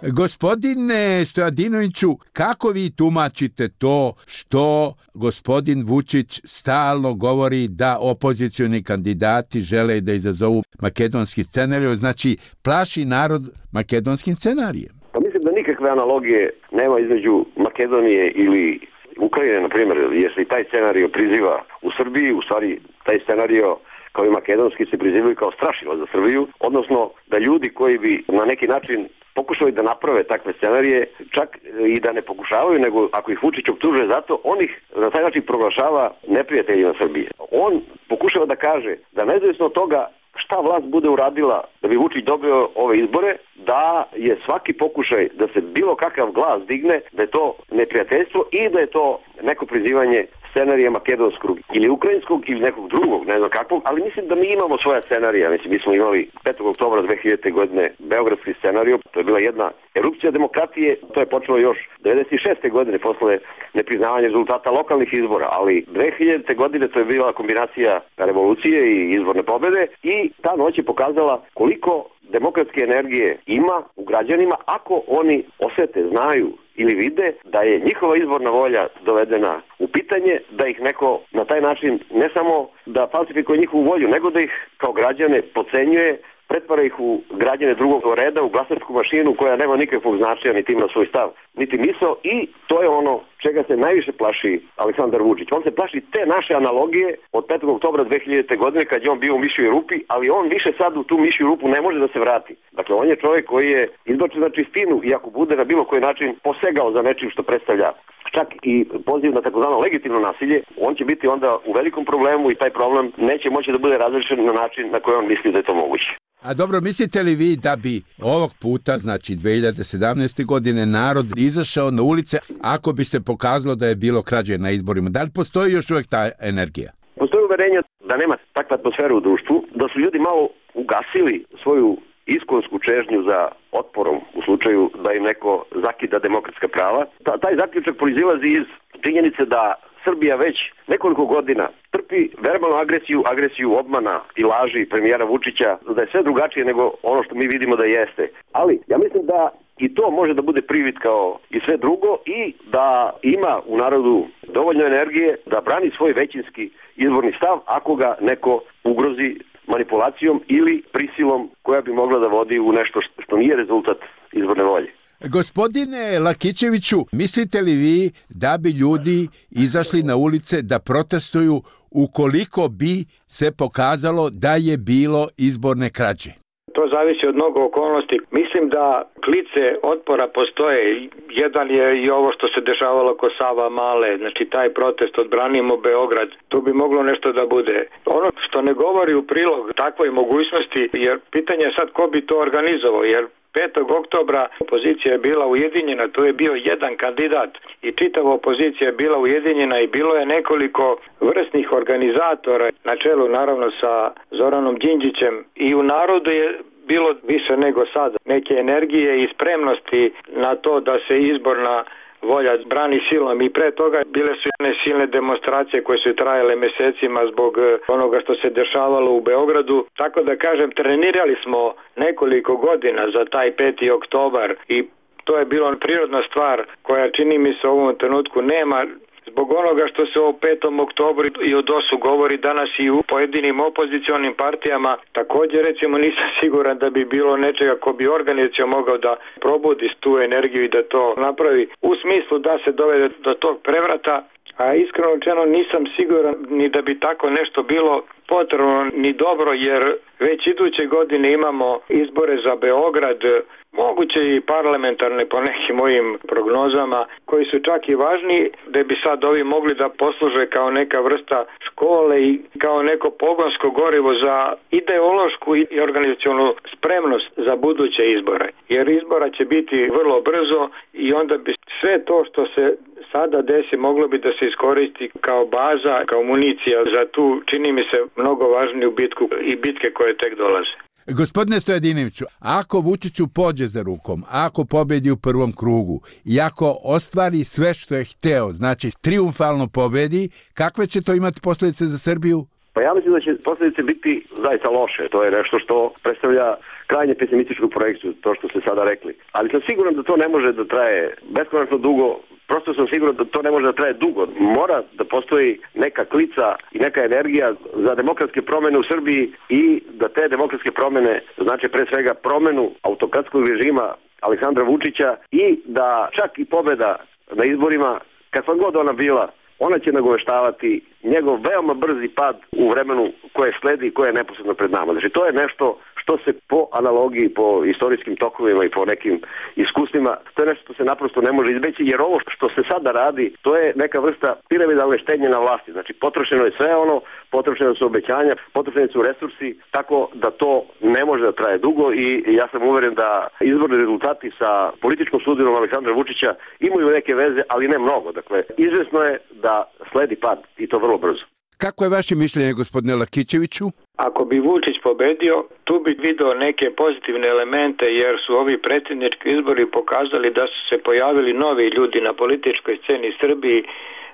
Gospodine Stojadinoviću, kako vi tumačite to što gospodin Vučić stalno govori da opozicioni kandidati žele da izazovu makedonski scenarij, znači plaši narod makedonskim scenarijem? Pa mislim da nikakve analogije nema između Makedonije ili Ukrajine, na primjer, jer se i taj scenario priziva u Srbiji, u stvari taj scenario kao i makedonski se prizivaju kao strašilo za Srbiju, odnosno da ljudi koji bi na neki način pokušali da naprave takve scenarije, čak i da ne pokušavaju, nego ako ih Vučić optužuje zato, on ih na taj način proglašava neprijateljima Srbije. On pokušava da kaže da nezavisno od toga šta vlast bude uradila da bi Vučić dobio ove izbore, da je svaki pokušaj da se bilo kakav glas digne, da je to neprijateljstvo i da je to neko prizivanje scenarija makedonskog ili ukrajinskog ili nekog drugog, ne znam kakvog, ali mislim da mi imamo svoja scenarija. Mislim, mi smo imali 5. oktobra 2000. godine beogradski scenarij, to je bila jedna erupcija demokratije, to je počelo još 96. godine posle nepriznavanja rezultata lokalnih izbora, ali 2000. godine to je bila kombinacija revolucije i izborne pobede i ta noć je pokazala koliko demokratske energije ima u građanima ako oni osete, znaju ili vide da je njihova izborna volja dovedena u pitanje, da ih neko na taj način ne samo da falsifikuje njihovu volju, nego da ih kao građane podcenjuje, pretvara ih u građane drugog reda, u glasačku mašinu koja nema nikakvog značaja, niti ima svoj stav, niti misao i to je ono čega se najviše plaši Aleksandar Vučić. On se plaši te naše analogije od 5. oktobra 2000. godine kad je on bio u mišjoj rupi, ali on više sad u tu mišju rupu ne može da se vrati. Dakle, on je čovjek koji je izbačen na čistinu i ako bude na bilo koji način posegao za nečim što predstavlja čak i poziv na takozvano legitimno nasilje, on će biti onda u velikom problemu i taj problem neće moći da bude razrešen na način na koji on misli da je to moguće. A dobro, mislite li vi da bi ovog puta, znači 2017. godine, narod izašao na ulice ako bi se pokazalo da je bilo krađe na izborima? Da li postoji još uvijek ta energija? Postoji uverenje da nema takve atmosfere u društvu, da su ljudi malo ugasili svoju iskonsku čežnju za otporom u slučaju da im neko zakida demokratska prava. Taj zaključak proizilazi iz činjenice da Srbija već nekoliko godina trpi verbalnu agresiju obmana i laži premijera Vučića, da je sve drugačije nego ono što mi vidimo da jeste. Ali ja mislim da i to može da bude privid kao i sve drugo i da ima u narodu dovoljno energije da brani svoj većinski izborni stav ako ga neko ugrozi manipulacijom ili prisilom koja bi mogla da vodi u nešto što nije rezultat izborne volje. Gospodine Lakićeviću, mislite li vi da bi ljudi izašli na ulice da protestuju ukoliko bi se pokazalo da je bilo izborne krađe? To zavisi od mnogo okolnosti. Mislim da klice otpora postoje. Jedan je i ovo što se dešavalo oko Sava Male, znači taj protest Odbranimo Beograd. Tu bi moglo nešto da bude. Ono što ne govori u prilog takvoj mogućnosti, jer pitanje je sad ko bi to organizovao, jer 5. oktobra opozicija je bila ujedinjena, to je bio jedan kandidat i čitava opozicija je bila ujedinjena i bilo je nekoliko vrsnih organizatora na čelu naravno sa Zoranom Đinđićem i u narodu je bilo više nego sada neke energije i spremnosti na to da se izborna volja brani silom i pre toga bile su jedne silne demonstracije koje su trajale mesecima zbog onoga što se dešavalo u Beogradu. Tako da kažem, trenirali smo nekoliko godina za taj 5. oktobar i to je bilo prirodna stvar koja čini mi se u ovom trenutku nema. Zbog onoga što se o 5. oktobru i o DOS-u govori danas i u pojedinim opozicionim partijama, također recimo nisam siguran da bi bilo nečega ko bi organizacija mogao da probudi tu energiju i da to napravi u smislu da se dovede do tog prevrata, a iskreno rečeno nisam siguran ni da bi tako nešto bilo potrebno ni dobro, jer već iduće godine imamo izbore za Beograd, moguće i parlamentarne po nekim mojim prognozama, koji su čak i važni, da bi sad ovi mogli da posluže kao neka vrsta škole i kao neko pogonsko gorivo za ideološku i organizacionu spremnost za buduće izbore. Jer izbora će biti vrlo brzo i onda bi sve to što se sada desi moglo bi da se iskoristi kao baza, kao municija za tu, čini mi se, mnogo važniju bitku i bitke koje tek dolaze. Gospodine Stojadinoviću, ako Vučiću pođe za rukom, ako pobedi u prvom krugu i ako ostvari sve što je hteo, znači triumfalno pobedi, kakve će to imati posljedice za Srbiju? Pa ja mislim da će posljedice biti zaista loše. To je nešto što predstavlja krajnje pesimističku projekciju, to što ste sada rekli. Ali sam siguran da to ne može da traje beskonačno dugo. Prosto sam siguran da to ne može da traje dugo. Mora da postoji neka klica i neka energija za demokratske promene u Srbiji i da te demokratske promene znači pre svega promenu autokratskog režima Aleksandra Vučića i da čak i pobeda na izborima, kakva god ona bila, ona će nagoveštavati njegov veoma brzi pad u vremenu koje sledi i koje je neposredno pred nama. Znači to je nešto što se po analogiji, po istorijskim tokovima i po nekim iskustvima, to je nešto što se naprosto ne može izbeći, jer ovo što se sada radi, to je neka vrsta piramidalne štednje na vlasti. Znači potrošeno je sve ono, potrošeno su obećanja, potrošeni su resursi, tako da to ne može da traje dugo i ja sam uveren da izborni rezultati sa političkom sudbinom Aleksandra Vučića imaju neke veze, ali ne mnogo. Dakle, izvesno je da sledi pad i to vrlo brzo. Kako je vaše mišljenje, gospodine Lakićeviću? Ako bi Vučić pobedio, tu bi video neke pozitivne elemente, jer su ovi predsjednički izbori pokazali da su se pojavili novi ljudi na političkoj sceni Srbiji,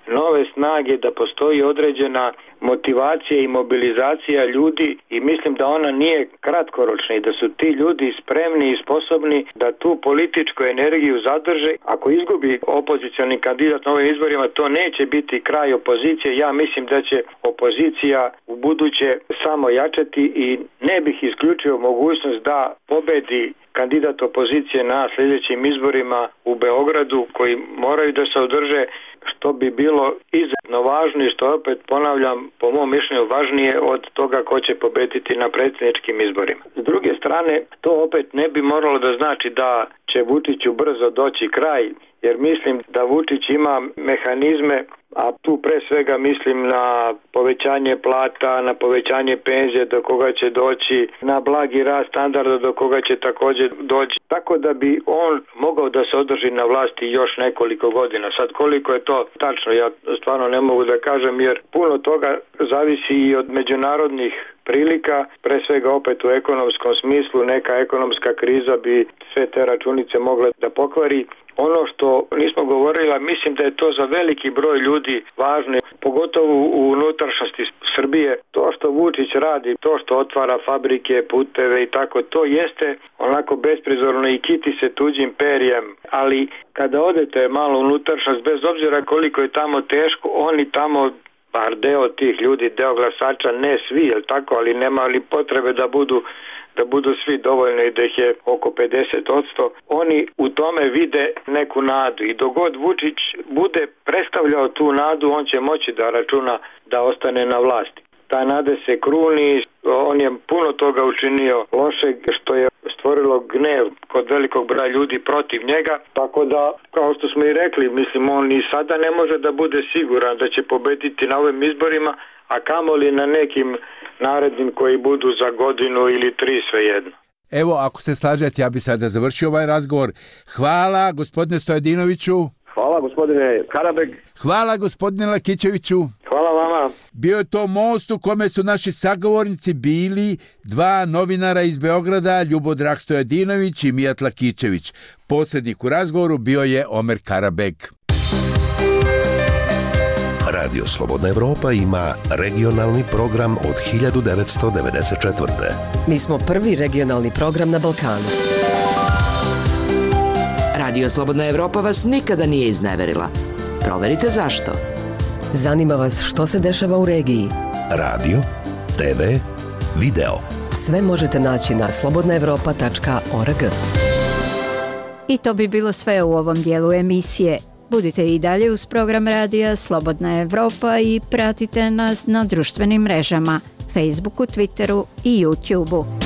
nove snage, da postoji određena motivacija i mobilizacija ljudi i mislim da ona nije kratkoročna i da su ti ljudi spremni i sposobni da tu političku energiju zadrže. Ako izgubi opozicioni kandidat na ovim izborima, to neće biti kraj opozicije. Ja mislim da će opozicija u buduće samo jačati i ne bih isključio mogućnost da pobedi kandidat opozicije na sljedećim izborima u Beogradu koji moraju da se održe, što bi bilo izuzetno važno i što opet ponavljam po mom mišljenju važnije od toga ko će pobediti na predsjedničkim izborima. S druge strane, to opet ne bi moralo da znači da će Vučiću brzo doći kraj, jer mislim da Vučić ima mehanizme, a tu pre svega mislim na povećanje plata, na povećanje penzije do koga će doći, na blagi rast standarda do koga će također doći. Tako da bi on mogao da se održi na vlasti još nekoliko godina. Sad koliko je to tačno, ja stvarno ne mogu da kažem, jer puno toga zavisi i od međunarodnih prilika, pre svega opet u ekonomskom smislu, neka ekonomska kriza bi sve te računice mogla da pokvari. Ono što nismo govorili, mislim da je to za veliki broj ljudi važno, pogotovo u unutrašnjosti Srbije. To što Vučić radi, to što otvara fabrike, puteve i tako, to jeste onako besprizorno i kiti se tuđim perjem. Ali kada odete malo unutrašnjost, bez obzira koliko je tamo teško, oni tamo, bar deo tih ljudi, deo glasača, ne svi, jel tako, ali nema li potrebe da budu svi dovoljno i da ih je oko 50%, oni u tome vide neku nadu i dok god Vučić bude predstavljao tu nadu, on će moći da računa da ostane na vlasti. ta nade se kruni. On je puno toga učinio lošeg što je stvorilo gnev kod velikog broja ljudi protiv njega. Tako da, kao što smo i rekli, mislim, on i sada ne može da bude siguran da će pobediti na ovim izborima, a kamoli na nekim narednim koji budu za godinu ili 3, svejedno. Evo, ako se slažete, ja bi sada završio ovaj razgovor. Hvala, gospodine Stojadinoviću. Hvala, gospodine Karabeg. Hvala, gospodine Lakićeviću. Hvala vama. Bio je to most u kome su naši sagovornici bili 2 novinara iz Beograda, Ljubodrag Stojadinović i Mijat Lakićević. Posrednik u razgovoru bio je Omer Karabeg. Radio Slobodna Evropa ima regionalni program od 1994. Mi smo prvi regionalni program na Balkanu. Radio Slobodna Evropa vas nikada nije izneverila. Proverite zašto. Zanima vas što se dešava u regiji. Radio, TV, video. Sve možete naći na slobodnaevropa.org. I to bi bilo sve u ovom dijelu emisije. Budite i dalje uz program radija Slobodna Evropa i pratite nas na društvenim mrežama, Facebooku, Twitteru i YouTubeu.